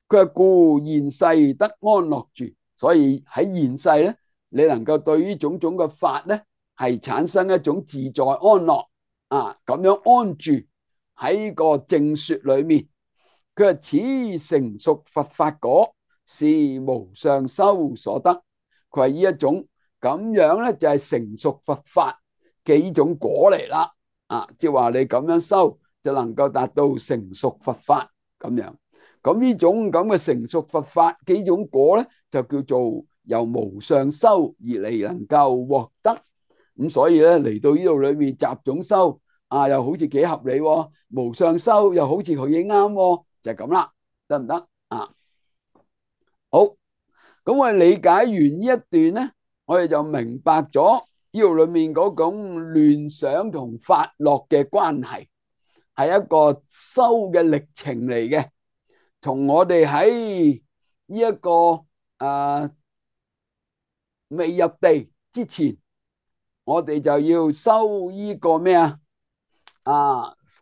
佢話故現世得安樂住，所以喺現世咧，你能夠對於種種嘅法咧係產生一種自在安樂咁樣安住喺個正說裏面。佢話此成熟佛法果，是無上修所得。佢話呢一種咁樣咧就係成熟佛法嘅呢種果嚟啦即係話你咁樣修就能夠達到成熟佛法咁樣。咁呢種咁嘅成熟佛法幾種果咧，就叫做由無上修而嚟能夠獲得。咁所以咧嚟到呢度裏面集種修又好似幾合理喎，無上修又好似佢幾啱喎，就係咁啦，得唔得好，咁我哋理解完呢一段咧，我哋就明白咗呢度裏面嗰種亂想同法樂嘅關係，係一個修嘅歷程嚟嘅。從我哋喺呢一個未入地之前，我哋就要修呢個咩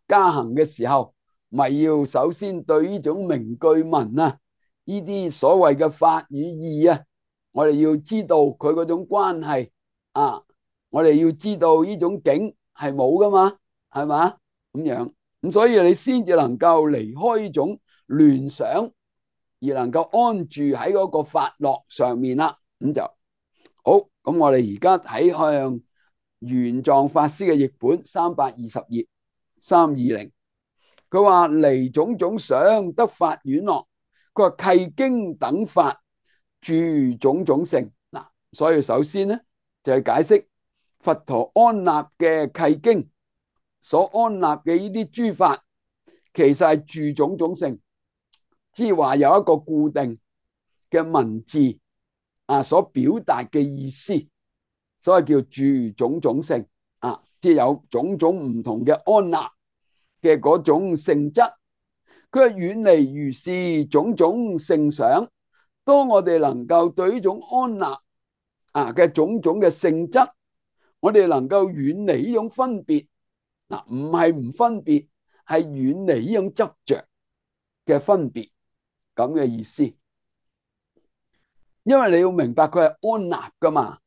加行嘅時候，咪要首先對呢種名句文啊，呢啲所謂嘅法與義啊，我哋要知道佢嗰種關係啊，我哋要知道呢種境係冇噶嘛，係嘛咁樣咁，所以你先至能夠離開呢種聯想，而能夠安住喺嗰個法樂上面啦。咁就好。咁我哋而家睇向玄奘法師嘅譯本320頁320，佢話離種種想得法丸樂，佢話契經等法住種種性。嗱，所以首先咧就係解釋佛陀安立嘅契經所安立嘅呢啲諸法，其實係住種種性，即係話有一個固定嘅文字所表達嘅意思，所以叫住種種性即係有種種唔同嘅安立嘅嗰種性質。佢係遠離如是種種性想。當我哋能夠對呢種安立嘅種種嘅性質，我哋能夠遠離呢種分別，唔係唔分別，係遠離呢種執着嘅分別，咁嘅意思。因為你要明白佢係安立噶嘛，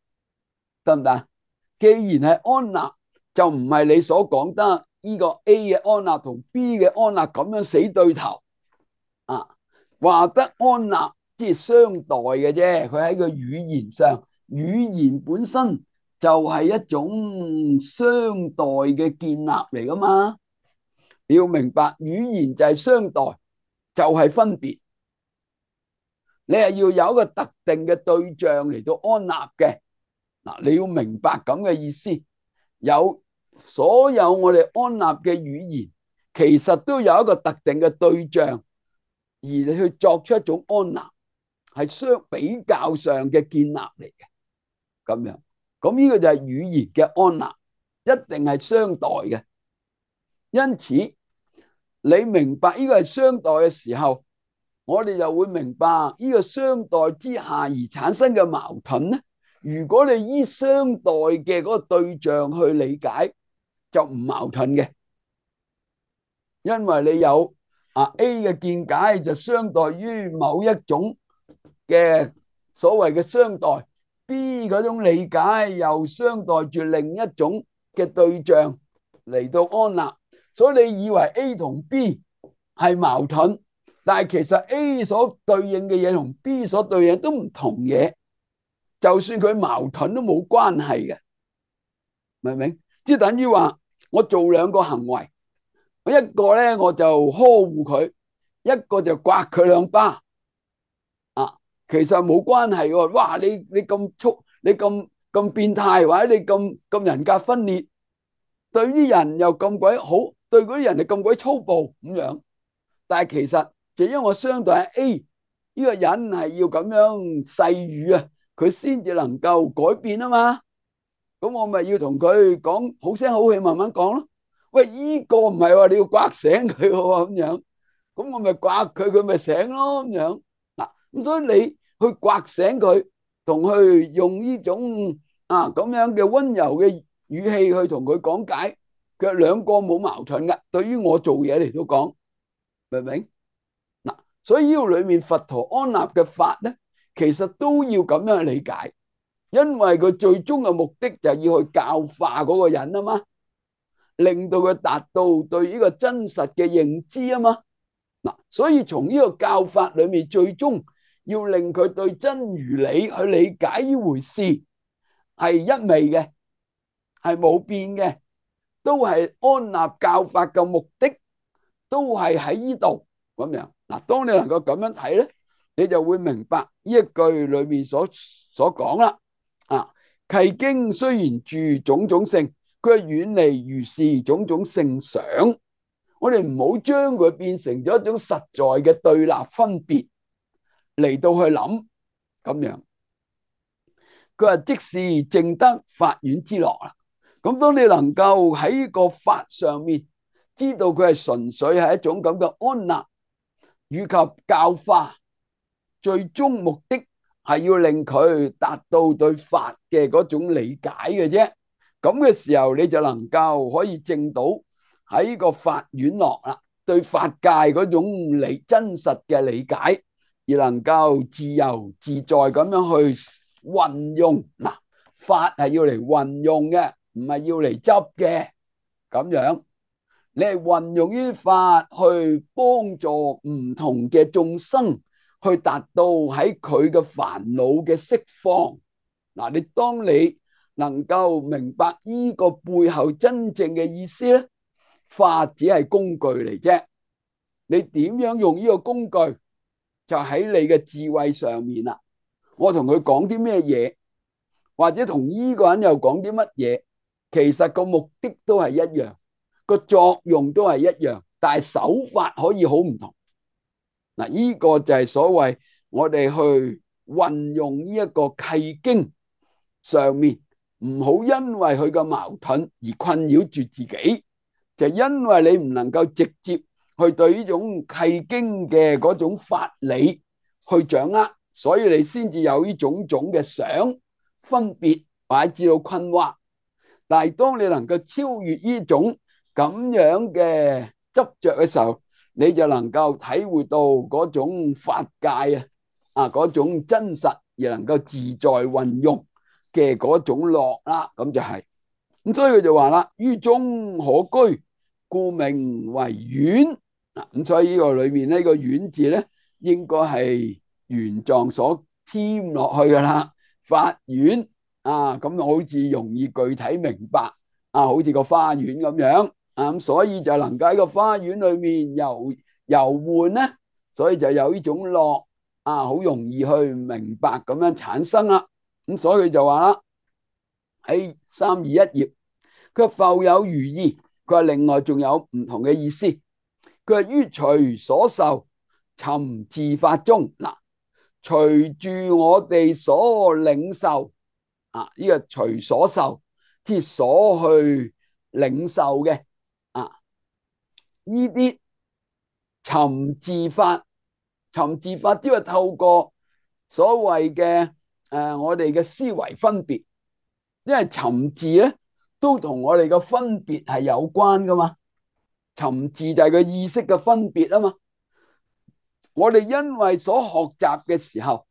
得唔得？既然係安立，就唔係你所講得呢個 A 嘅安立同 B 嘅安立咁樣死對頭話得安立即係相待嘅啫。佢喺個語言上，語言本身就係一種相待嘅建立嚟噶嘛。你要明白，語言就係相待，就係分別。你係要有一個特定嘅對象嚟到安立嘅。你要明白咁嘅意思。有所有我哋安立嘅語言，其實都有一個特定嘅對象，而你去作出一種安立，係相比較上嘅建立嚟嘅。咁樣，咁呢個就係語言嘅安立，一定係相待嘅。因此，你明白呢個係相待嘅時候，我哋就會明白呢個相待之下而產生嘅矛盾咧。如果你依相待嘅嗰個對象去理解，就唔矛盾嘅，因為你有A 嘅見解就相待於某一種嘅所謂嘅相待，B 嗰種理解又相待住另一種嘅對象嚟到安立，所以你以為 A 同 B 係矛盾，但係其實 A 所對應嘅嘢同 B 所對應都唔同嘢，就算佢矛盾都冇關係嘅，明唔明？即係等於話我做兩個行為，我一個咧我就呵護佢，一個就刮佢兩巴其實冇關係喎。哇，你咁粗，你咁變態，或者你咁人格分裂，對啲人又咁鬼好，對嗰啲人就咁鬼粗暴咁樣。但係其實就因為我相對係 A 呢個人係要咁樣細語佢先至能夠改變啊嘛。咁我咪要同佢講好聲好氣，慢慢講咯。喂，呢個唔係話你要刮醒佢咁樣，咁我咪刮佢，佢咪醒咯咁樣。咁所以你去刮醒佢，同去用呢種咁樣嘅溫柔嘅語氣去同佢講解，佢兩個冇矛盾噶。對於我做嘢嚟到講，明唔明？所以呢個裏面佛陀安立嘅法咧，其實都要咁樣理解，因為佢最終嘅目的就係要去教化嗰個人啊嘛，令到佢達到對呢個真實嘅認知啊嘛。所以從呢個教法裏面，最終要令佢對真如理去理解呢回事係一味嘅，係冇變嘅，都係安立教法嘅目的，都係喺呢度咁樣。當你能夠咁樣睇咧，你就會明白呢一句裏面所講啦。契經雖然住種種性，佢係遠離如是種種性想。我哋唔好將佢變成咗一種實在嘅對立分別嚟到去諗咁樣。佢話即是證得法丸之樂啦。咁當你能夠喺個法上面知道佢係純粹係一種咁嘅安立，以及教化，最終目的係要令佢達到對法嘅嗰種理解嘅啫。咁嘅時候，你就能夠可以證到喺個法院落啦，對法界嗰種真實嘅理解，而能夠自由自在咁樣去運用。嗱，法係要嚟運用嘅，唔係要嚟執嘅。咁樣你係運用於法去幫助唔同嘅眾生，去達到喺佢嘅煩惱嘅釋放。嗱，當你能夠明白呢個背後真正嘅意思咧，法只係工具嚟啫。你點樣用呢個工具，就喺你嘅智慧上面啦。我同佢講啲咩嘢，或者同呢個人又講啲乜嘢，其實個目的都係一樣，個作用都係一樣，但係手法可以好唔同。嗱，呢個就係所謂我哋去運用呢一個契經上面，唔好因為佢嘅矛盾而困擾住自己，就因為你唔能夠直接去對呢種契經嘅嗰種法理去掌握，所以你先至有呢種種嘅想分別或者至到困惑。但係當你能夠超越呢種咁樣嘅執着嘅時候，你就能夠體會到嗰種法界嗰種真實，而能夠自在運用嘅嗰種樂啦。咁就係咁，所以佢就話啦：於中可居，故名為院。咁所以呢個裏面呢個院字咧，應該係原狀所添落去噶啦。法院咁好似容易具體明白好似個花園咁樣咁，所以就能夠喺個花園裏面遊玩咧，所以就有呢種樂好容易去明白咁樣產生啦。咁所以佢就話啦，喺321頁，佢話復有餘意，佢話另外仲有唔同嘅意思。佢話於隨所受，尋自法中。嗱，隨住我哋所領受呢個隨所受，即係所去領受嘅呢啲尋自法，尋自法即係透過所謂嘅我哋嘅思維分別，因為尋自咧都同我哋嘅分別係有關噶嘛。尋自就係個意識嘅分別啊嘛。我哋因為所學習嘅時候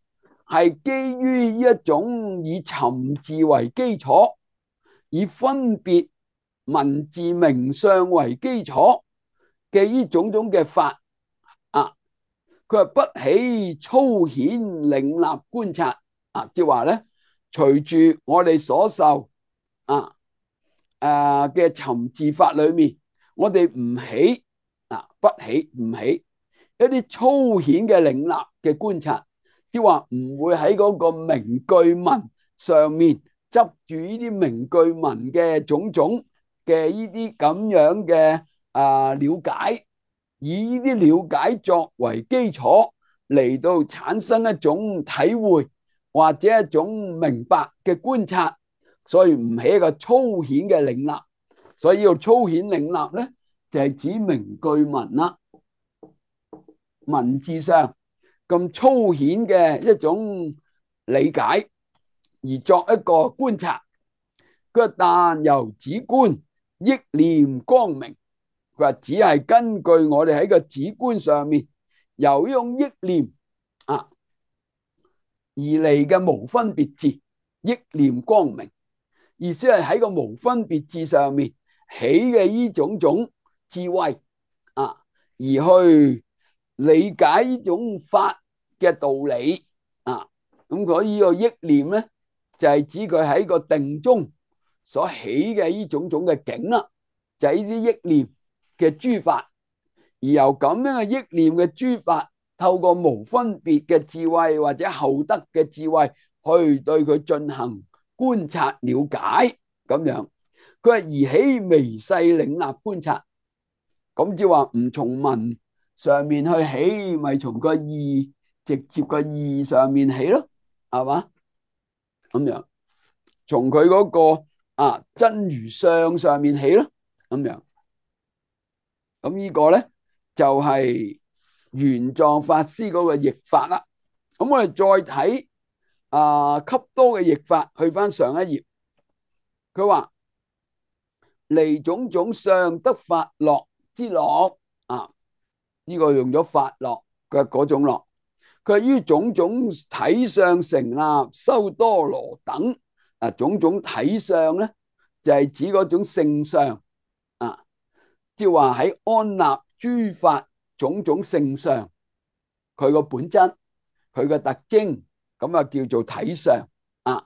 係基於呢一種以尋自為基礎，以分別文字名相為基礎嘅呢種種嘅法佢話不起粗顯領納觀察即係話咧，隨住我哋所受嘅尋自法裏面，我哋唔起不起唔起一啲粗顯嘅領納嘅觀察，即係話唔會喺嗰個名句文上面執住呢啲名句文嘅種種嘅呢啲咁樣嘅了解，以呢啲了解作為基礎嚟到產生一種體會或者一種明白嘅觀察，所以唔起一個粗顯嘅領納。所以要粗顯領納咧，就係指名句文啦，文字上咁粗顯嘅一種理解而作一個觀察。佢話但由止觀憶念光明，佢話只係根據我哋喺個止觀上面由呢種憶念而嚟嘅無分別智，憶念光明，意思係喺個無分別智上面起嘅呢種種智慧而去理解呢種法嘅道理咁所以呢個憶念咧就係指佢喺個定中所起嘅呢種種嘅境啦，就係呢啲憶念嘅諸法，而由咁樣嘅憶念嘅諸法，透過無分別嘅智慧或者後得嘅智慧去對佢進行觀察了解咁樣。佢話而起微細領納觀察，咁即係話唔從文上面去起，咪從個意直接個意上面起咯，係嘛？咁樣從佢嗰個真如相上面起咯，咁樣。咁呢個咧就係玄奘法師嗰個譯法啦。咁我哋再睇笈多嘅譯法，去翻上一頁，佢話離種種相得法樂之樂啊，呢個用咗法樂嘅嗰種樂。佢於種種體相成立修多羅等種種體相咧，就係指嗰種性相啊，即係話喺安立諸法種種性相，佢個本質，佢個特徵，咁叫做體相啊。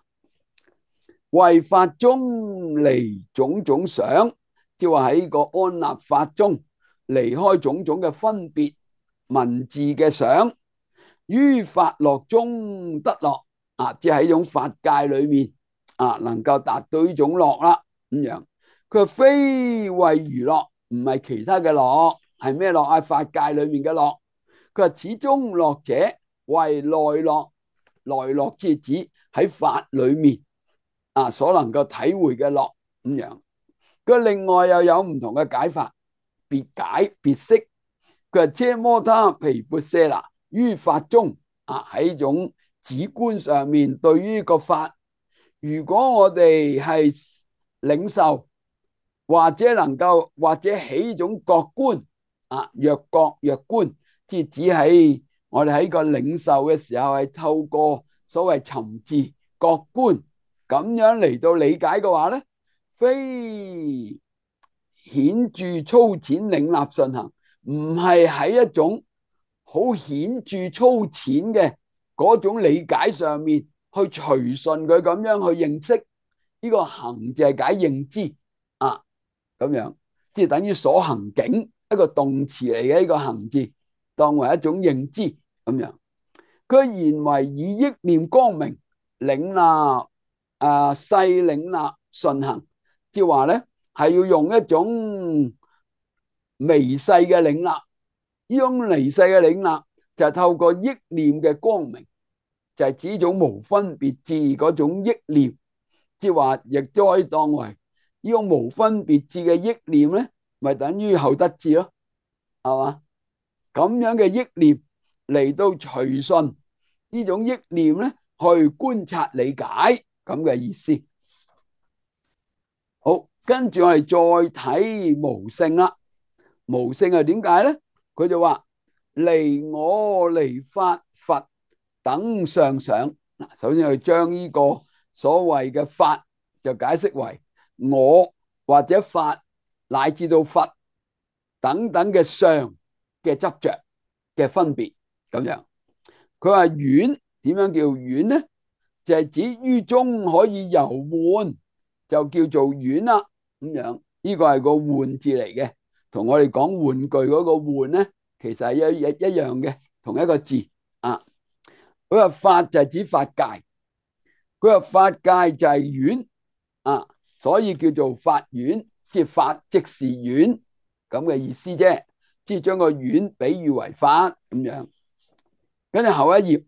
為法中離種種想，即係話喺個安立法中離開種種嘅分別文字嘅想，於法樂中得樂啊，即係喺種法界裏面能夠達到呢種樂啦。咁樣佢話非為餘樂，唔係其他嘅樂，係咩樂啊？法界裏面嘅樂。佢話始終樂者為內樂，內樂即係指喺法裏面所能夠體會嘅樂咁樣。佢另外又有唔同嘅解法，別解別釋。佢話奢摩他毗缽舍那於法中喺種止觀上面，對於個法，如果我哋係領受或者起種覺觀若覺若觀，即係指喺我哋喺個領受嘅時候係透過所謂尋伺覺觀咁樣嚟到理解嘅話咧，非顯著粗淺領納順行，唔係喺一種好顯著粗淺嘅嗰種理解上面去隨順佢咁樣去認識。呢個行就係解認知咁樣，即係等於所行境，一個動詞嚟嘅。呢個行字當為一種認知咁樣。佢言為以憶念光明領納細領納順行，即係話咧係要用一種微細嘅領納。呢種微細嘅領納就係透過憶念嘅光明，就係指種無分別智嗰種憶念，即係話亦都可以當為呢種無分別智嘅憶念咧，咪等於後得智咯，係嘛？咁樣嘅憶念嚟到隨順呢種憶念咧，去觀察理解咁嘅意思。好，跟住我哋再睇無性啦。無性係點解咧？佢就話離我離法佛等相想。首先去將呢個所謂嘅法就解釋為我或者法乃至到佛等等嘅相嘅執着嘅分別咁樣。佢話遠，點樣叫遠呢？就係指於中可以遊玩，就叫做遠啦咁樣。呢個係個玩字嚟嘅，同我哋講玩具嗰個玩咧，其實係一樣嘅，同一個字啊。佢話法就係指法界，佢話法界就係院所以叫做法院，即係法即是院咁嘅意思啫，即係將個院比喻為法咁樣。跟住後一頁，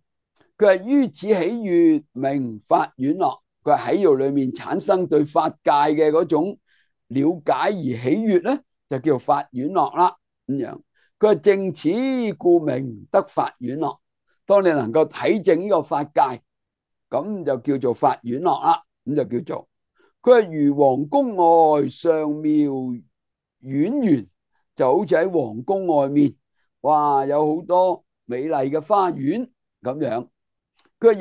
佢係於此喜悅名法院樂。佢係喜悅裏面產生對法界嘅嗰種了解而喜悅咧，就叫法院樂啦咁樣。佢係正此故名得法院樂。當你能夠體證呢個法界，咁就叫做法院樂啦。咁就叫做佢係如皇宮外上妙苑園，就好似喺皇宮外面，哇，有好多美麗嘅花園咁樣。佢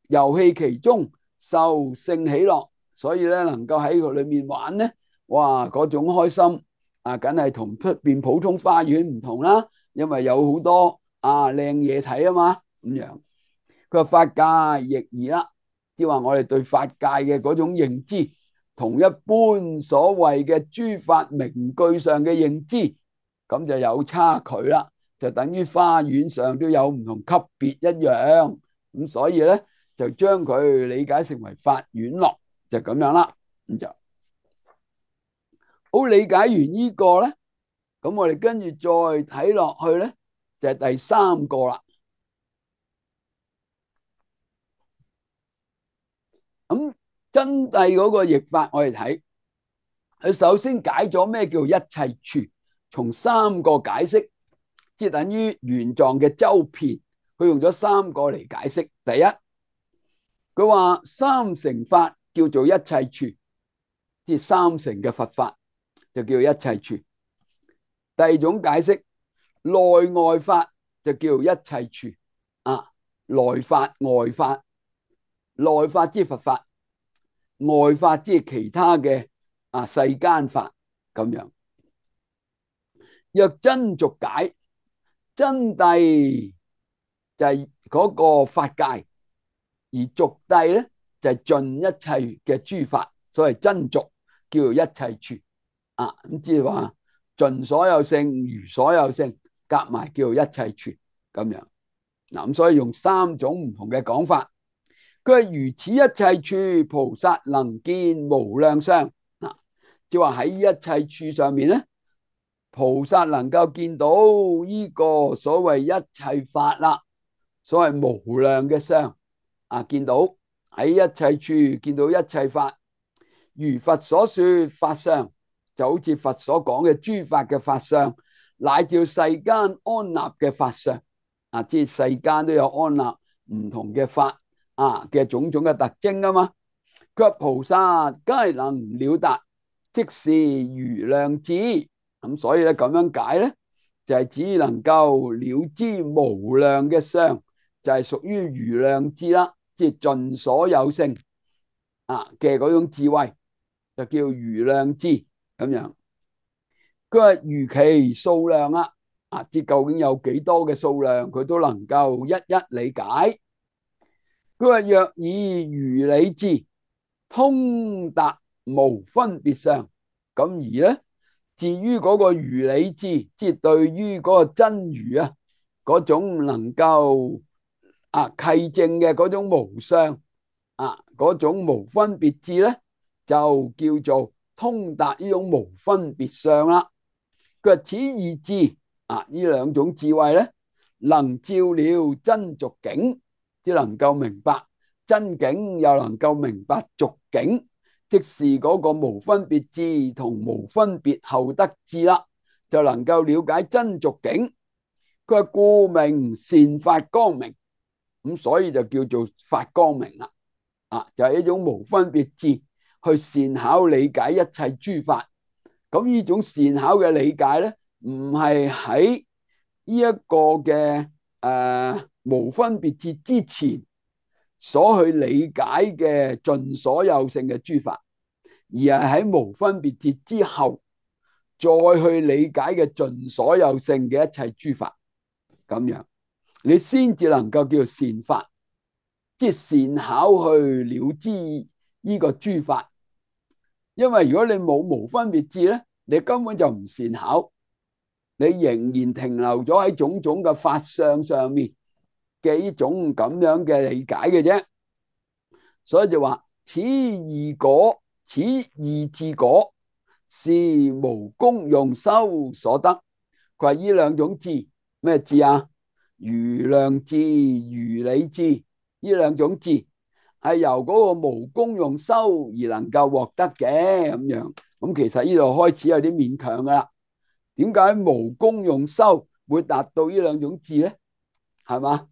遊戲其中，受性喜樂，所以咧能夠喺佢裏面玩咧，哇，嗰種開心梗係同出邊普通花園唔同啦，因為有好多靚嘢睇啊嘛咁樣。佢話法界亦宜啦，即係話我哋對法界嘅嗰種認知，同一般所謂嘅諸法名句上嘅認知，咁就有差距啦，就等於花園上都有唔同級別一樣。咁所以咧就將佢理解成為法院樂，就咁樣啦。咁就好，理解完呢個咧，咁我哋跟住再睇落去咧，就係第三個啦。咁真諦嗰個譯法我哋睇，佢首先解咗咩叫一切處，從三個解釋，即係等於玄奘嘅周遍，佢用咗3個嚟解釋。第一，佢話三乘法叫做一切處，即係三乘嘅佛法就叫一切處。第二種解釋，內外法就叫一切處。內法外法，內法即係佛法，外法即係其他嘅世間法咁樣。若真俗解，真諦就係嗰個法界，而俗諦咧就係盡一切嘅諸法，所謂真俗叫做一切處。咁即係話盡所有性，如所有性，夾埋叫做一切處咁樣。咁所以用3種唔同嘅講法。佢係如此一切處，菩薩能見無量相。即係話喺一切處上面咧，菩薩能夠見到呢個所謂一切法啦，所謂無量嘅相。見到喺一切處見到一切法，如佛所說法相，就好似佛所講嘅諸法嘅法相，乃叫世間安立嘅法相。即係世間都有安立唔同嘅法嘅種種嘅特徵啊嘛。佢話菩薩皆能了達，即是如量智。咁所以咧咁樣解咧，就係只能夠了知無量嘅相，就係屬於如量智啦，即係盡所有性嘅嗰種智慧，就叫如量智咁樣。佢話如其數量即究竟有幾多嘅數量，佢都能夠一一理解。佢話若以如理智通達無分別相，咁而咧至於嗰個如理智，即係對於嗰個真如嗰種能夠契證嘅嗰種無相嗰種無分別智咧，就叫做通達呢種無分別相啦。佢話此二智呢兩種智慧咧，能照了真俗境，即能夠明白真境，又能夠明白俗境，即是嗰個無分別智同無分別後得智啦，就能夠了解真俗境。佢話故名善法光明，咁所以就叫做法光明啦。就係一種無分別智去善巧理解一切諸法。咁呢種善巧嘅理解咧，唔係喺呢一個嘅無分別智之前所去理解嘅盡所有性嘅諸法，而係喺無分別智之後再去理解嘅盡所有性嘅一切諸法。咁樣你先至能夠叫做善法，即係善巧去了知呢個諸法。因為如果你冇無分別智咧，你根本就唔善巧，你仍然停留咗喺種種嘅法相上面嘅呢種咁樣嘅理解嘅啫。所以就話此二果，此二智果是無功用修所得。佢話呢兩種智，咩智如量智、如理智，呢兩種智係由嗰個無功用修而能夠獲得嘅咁樣。咁其實呢度開始有啲勉強噶啦。點解無功用修會達到呢兩種智咧？係嘛？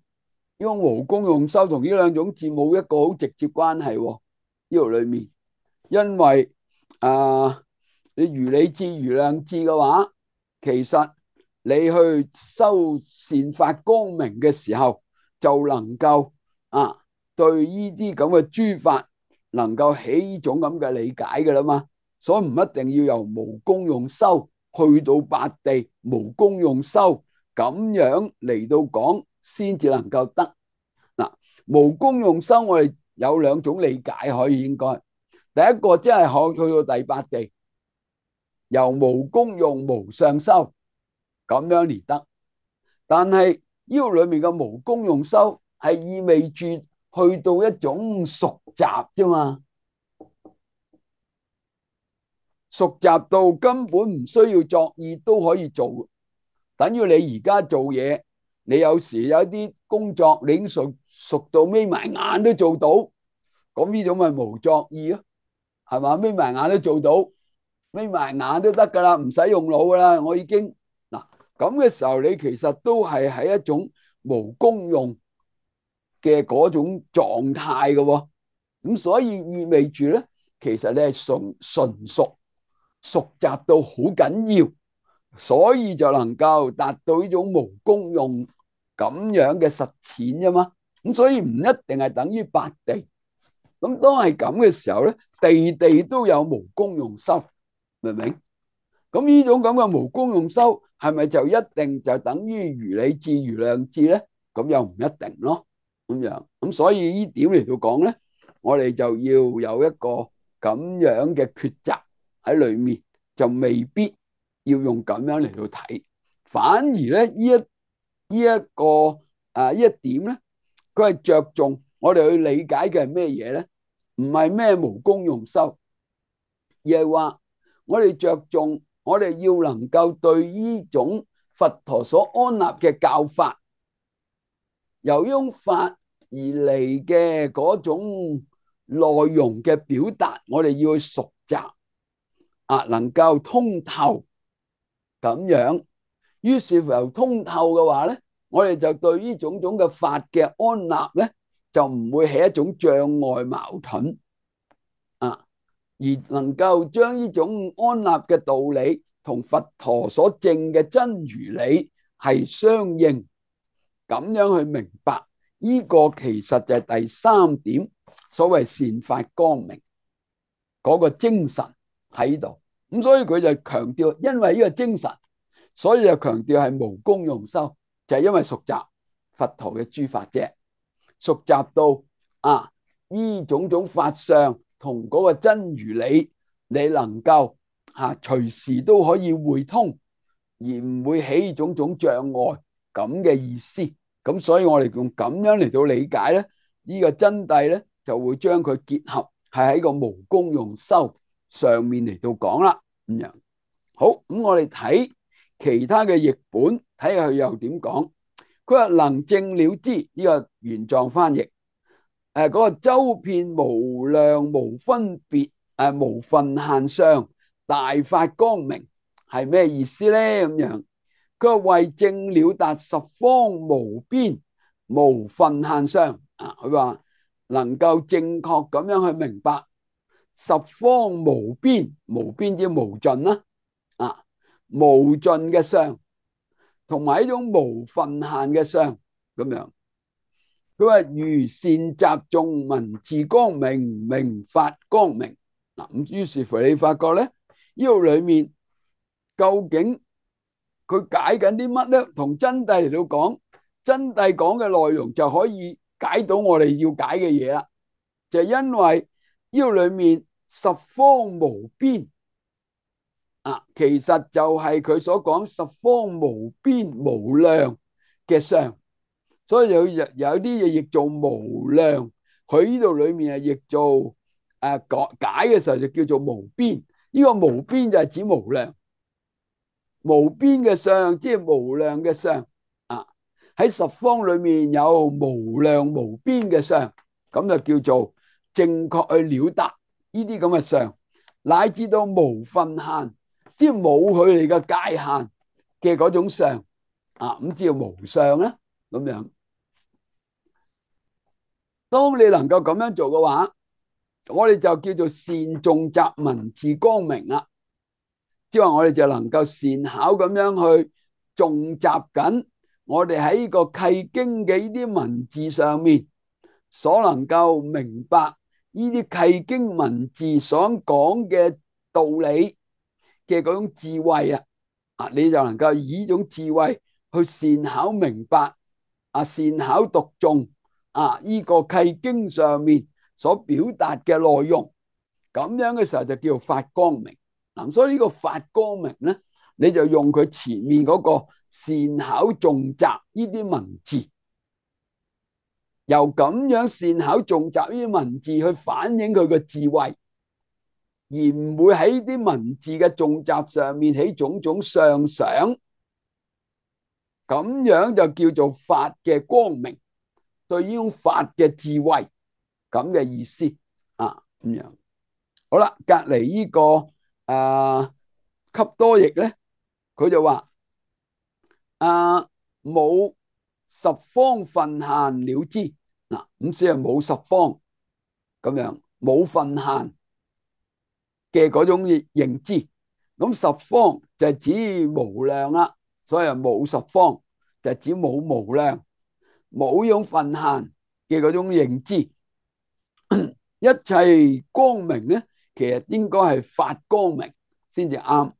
因為無功用修同呢兩種智冇一個好直接關係呢度裏面。因為你如理智、如量智嘅話，其實你去修善法光明嘅時候，就能夠對呢啲咁嘅諸法能夠起呢種咁嘅理解嘅啦嘛。所以唔一定要由無功用修去到八地無功用修咁樣嚟到講先至能夠得。無功用修我哋有兩種理解可以，應該第一個即係可去到第八地由無功用無相修咁樣嚟得。但係呢個裏面嘅無功用修係意味住去到一種熟習啫嘛，熟習到根本唔需要作意都可以做。等於你而家做嘢，你有時有啲工作你已經熟到眯埋眼都做到，咁呢種咪無作意咯，係嘛？眯埋眼都做到，眯埋眼都得噶啦，唔使用腦噶啦。我已經咁嘅時候，你其實都係喺一種無功用嘅嗰種狀態嘅喎。咁所以意味住咧，其實你係純熟習到好緊要，所以就能夠達到呢種無功用咁樣嘅實踐啫嘛。咁所以唔一定係等於八地。咁當係咁嘅時候咧，地地都有無功用修，明唔明？咁呢種咁嘅無功用修，係咪就一定就等於如理智、如量智咧？咁又唔一定咯。咁樣咁，所以呢點嚟到講咧，我哋就要有一個咁樣嘅抉擇喺裏面，就未必要用咁樣嚟到睇，反而咧呢一點咧，佢係着重我哋去理解嘅係咩嘢咧？唔係咩無功用修，而係話我哋着重，我哋要能夠對呢種佛陀所安立嘅教法，由呢種法而嚟嘅嗰種內容嘅表達，我哋要去熟習能夠通透咁樣。於是乎由通透嘅話咧，我哋就對呢種種嘅法嘅安立咧，就唔會係一種障礙矛盾而能夠將呢種安立嘅道理同佛陀所證嘅真如理係相應，咁樣去明白呢個其實就係第三點，所謂善法光明嗰個精神喺度。咁所以佢就強調，因為呢個精神，所以就強調係無功用修，就係因為熟習佛陀嘅諸法啫，熟習到呢種種法相同嗰個真如理，你能夠隨時都可以會通，而唔會起種種障礙咁嘅意思。咁所以我哋用咁樣嚟到理解咧，呢個真諦咧就會將佢結合係喺個無功用修上面嚟到講啦。咁樣好，咁我哋睇其他嘅譯本，睇下佢又點講。佢話能證了知，呢個原狀翻譯。嗰個周遍無量無分別無分限相大法光明係咩意思咧？咁樣佢話為證了達十方無邊無分限相佢話能夠正確咁樣去明白十方無邊，無邊即無盡啦無盡嘅相，同埋一種無分限嘅相咁樣。佢話如善習誦文字光明，明法光明咁，於是乎你發覺咧，呢度裏面究竟佢解緊啲乜咧？同真諦嚟到講，真諦講嘅內容就可以解到我哋要解嘅嘢啦。就係因為呢度裏面十方無邊其實就係佢所講十方無邊無量嘅相。所以有啲嘢譯做無量，佢呢度裏面係譯做解嘅時候就叫做無邊。呢個無邊就係指無量，無邊嘅相即係無量嘅相喺十方裏面有無量無邊嘅相，咁就叫做正確去了達呢啲咁嘅相，乃至到無分限，即係冇佢哋嘅界限嘅嗰種相咁叫無相啦。咁樣當你能夠咁樣做嘅話，我哋就叫做善誦習文字光明啦。即係話我哋就能夠善巧咁樣去誦習緊我哋喺呢個契經嘅呢啲文字上面所能夠明白呢啲契經文字所講嘅道理嘅嗰種智慧你就能夠以呢種智慧去善巧明白善巧讀誦呢個契經上面所表達嘅內容，咁樣嘅時候就叫做法光明。所以呢個法光明咧，你就用佢前面嗰個善巧誦習呢啲文字，由咁樣善巧誦習呢啲文字去反映佢個智慧，而唔會喺呢啲文字嘅誦習上面起種種相想，咁樣就叫做法嘅光明，對呢種法嘅智慧咁嘅意思咁樣。好啦，隔籬呢個笈多譯咧，佢就話啊，冇十方分限了知。嗱，咁先係冇十方咁樣，冇分限嘅嗰種認知。咁十方就係指無量啦，所以冇十方就係指冇無量，冇用分限嘅嗰種認知。一切光明咧，其實應該係發光明先至啱。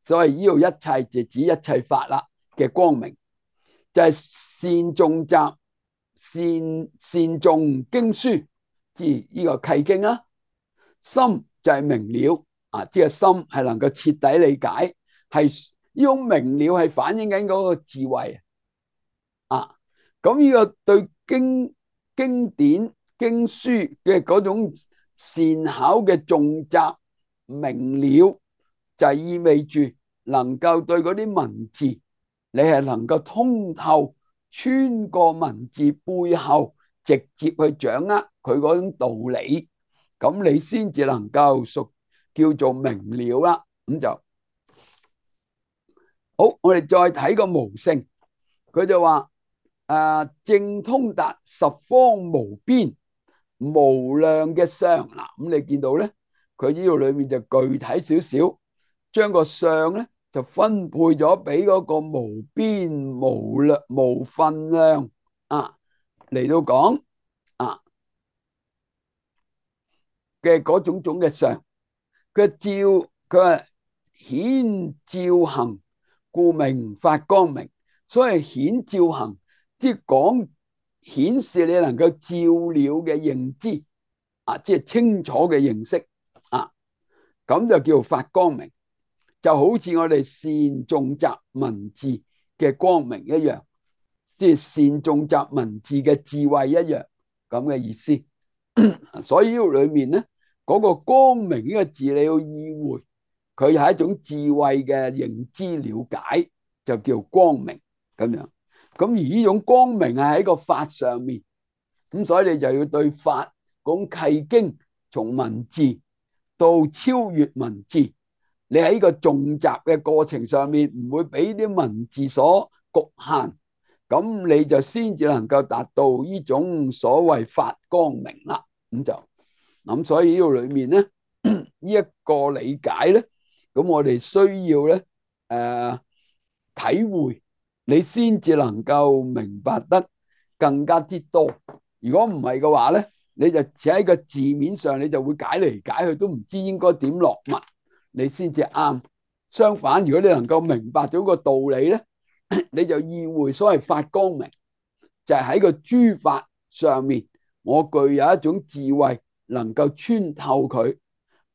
所以呢度一切就指一切法啦嘅光明，就係善誦習、善誦經書，即係呢個契經啦。心就係明了啊，即係心係能夠徹底理解，係呢種明了係反映緊嗰個智慧啊。咁呢個對經典經書嘅嗰種善巧嘅誦習明了，就意味住能夠對嗰啲文字，你係能夠通透，穿過文字背後，直接去掌握佢嗰種道理，咁你先至能夠叫做明了啦。咁就好，我哋再睇個無性，佢就話正通達十方無邊無量嘅相。嗱，咁你見到咧，佢呢度裏面就具體少少，將個相咧就分配咗俾嗰個無邊無量無分量啊嚟到講啊嘅嗰種種嘅相。佢話顯照行，故名發光明。所以顯照行，即係講顯示你能夠照了嘅認知啊，即係清楚嘅認識啊，咁就叫發光明。就好似我哋善誦習文字嘅光明一樣，即係善誦習文字嘅智慧一樣咁嘅意思。所以呢度裏面咧，嗰個光明呢個字你要意會，佢係一種智慧嘅認知了解，就叫光明咁樣。咁而呢種光明係喺個法上面，咁所以你就要對法講契經，從文字到超越文字，你喺個誦習嘅過程上面唔會俾啲文字所局限，咁你就先至能夠達到呢種所謂發光明啦。咁所以呢度裏面咧，呢一個理解咧，咁我哋需要咧體會，你先至能夠明白得更加之多。如果唔係嘅話咧，你就只喺個字面上，你就會解嚟解去都唔知應該點落墨，你先至啱。相反，如果你能夠明白咗個道理咧，你就意會所謂發光明，就係喺個諸法上面，我具有一種智慧，能夠穿透佢，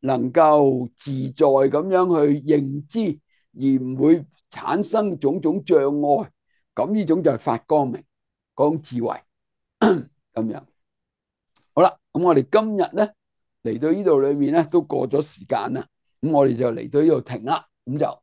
能夠自在咁樣去認知，而唔會產生種種障礙。咁呢種就係發光明嗰種智慧咁樣。好啦，咁我哋今日咧嚟到呢度裏面咧都過咗時間啦，咁我哋就嚟到呢度停啦，咁就。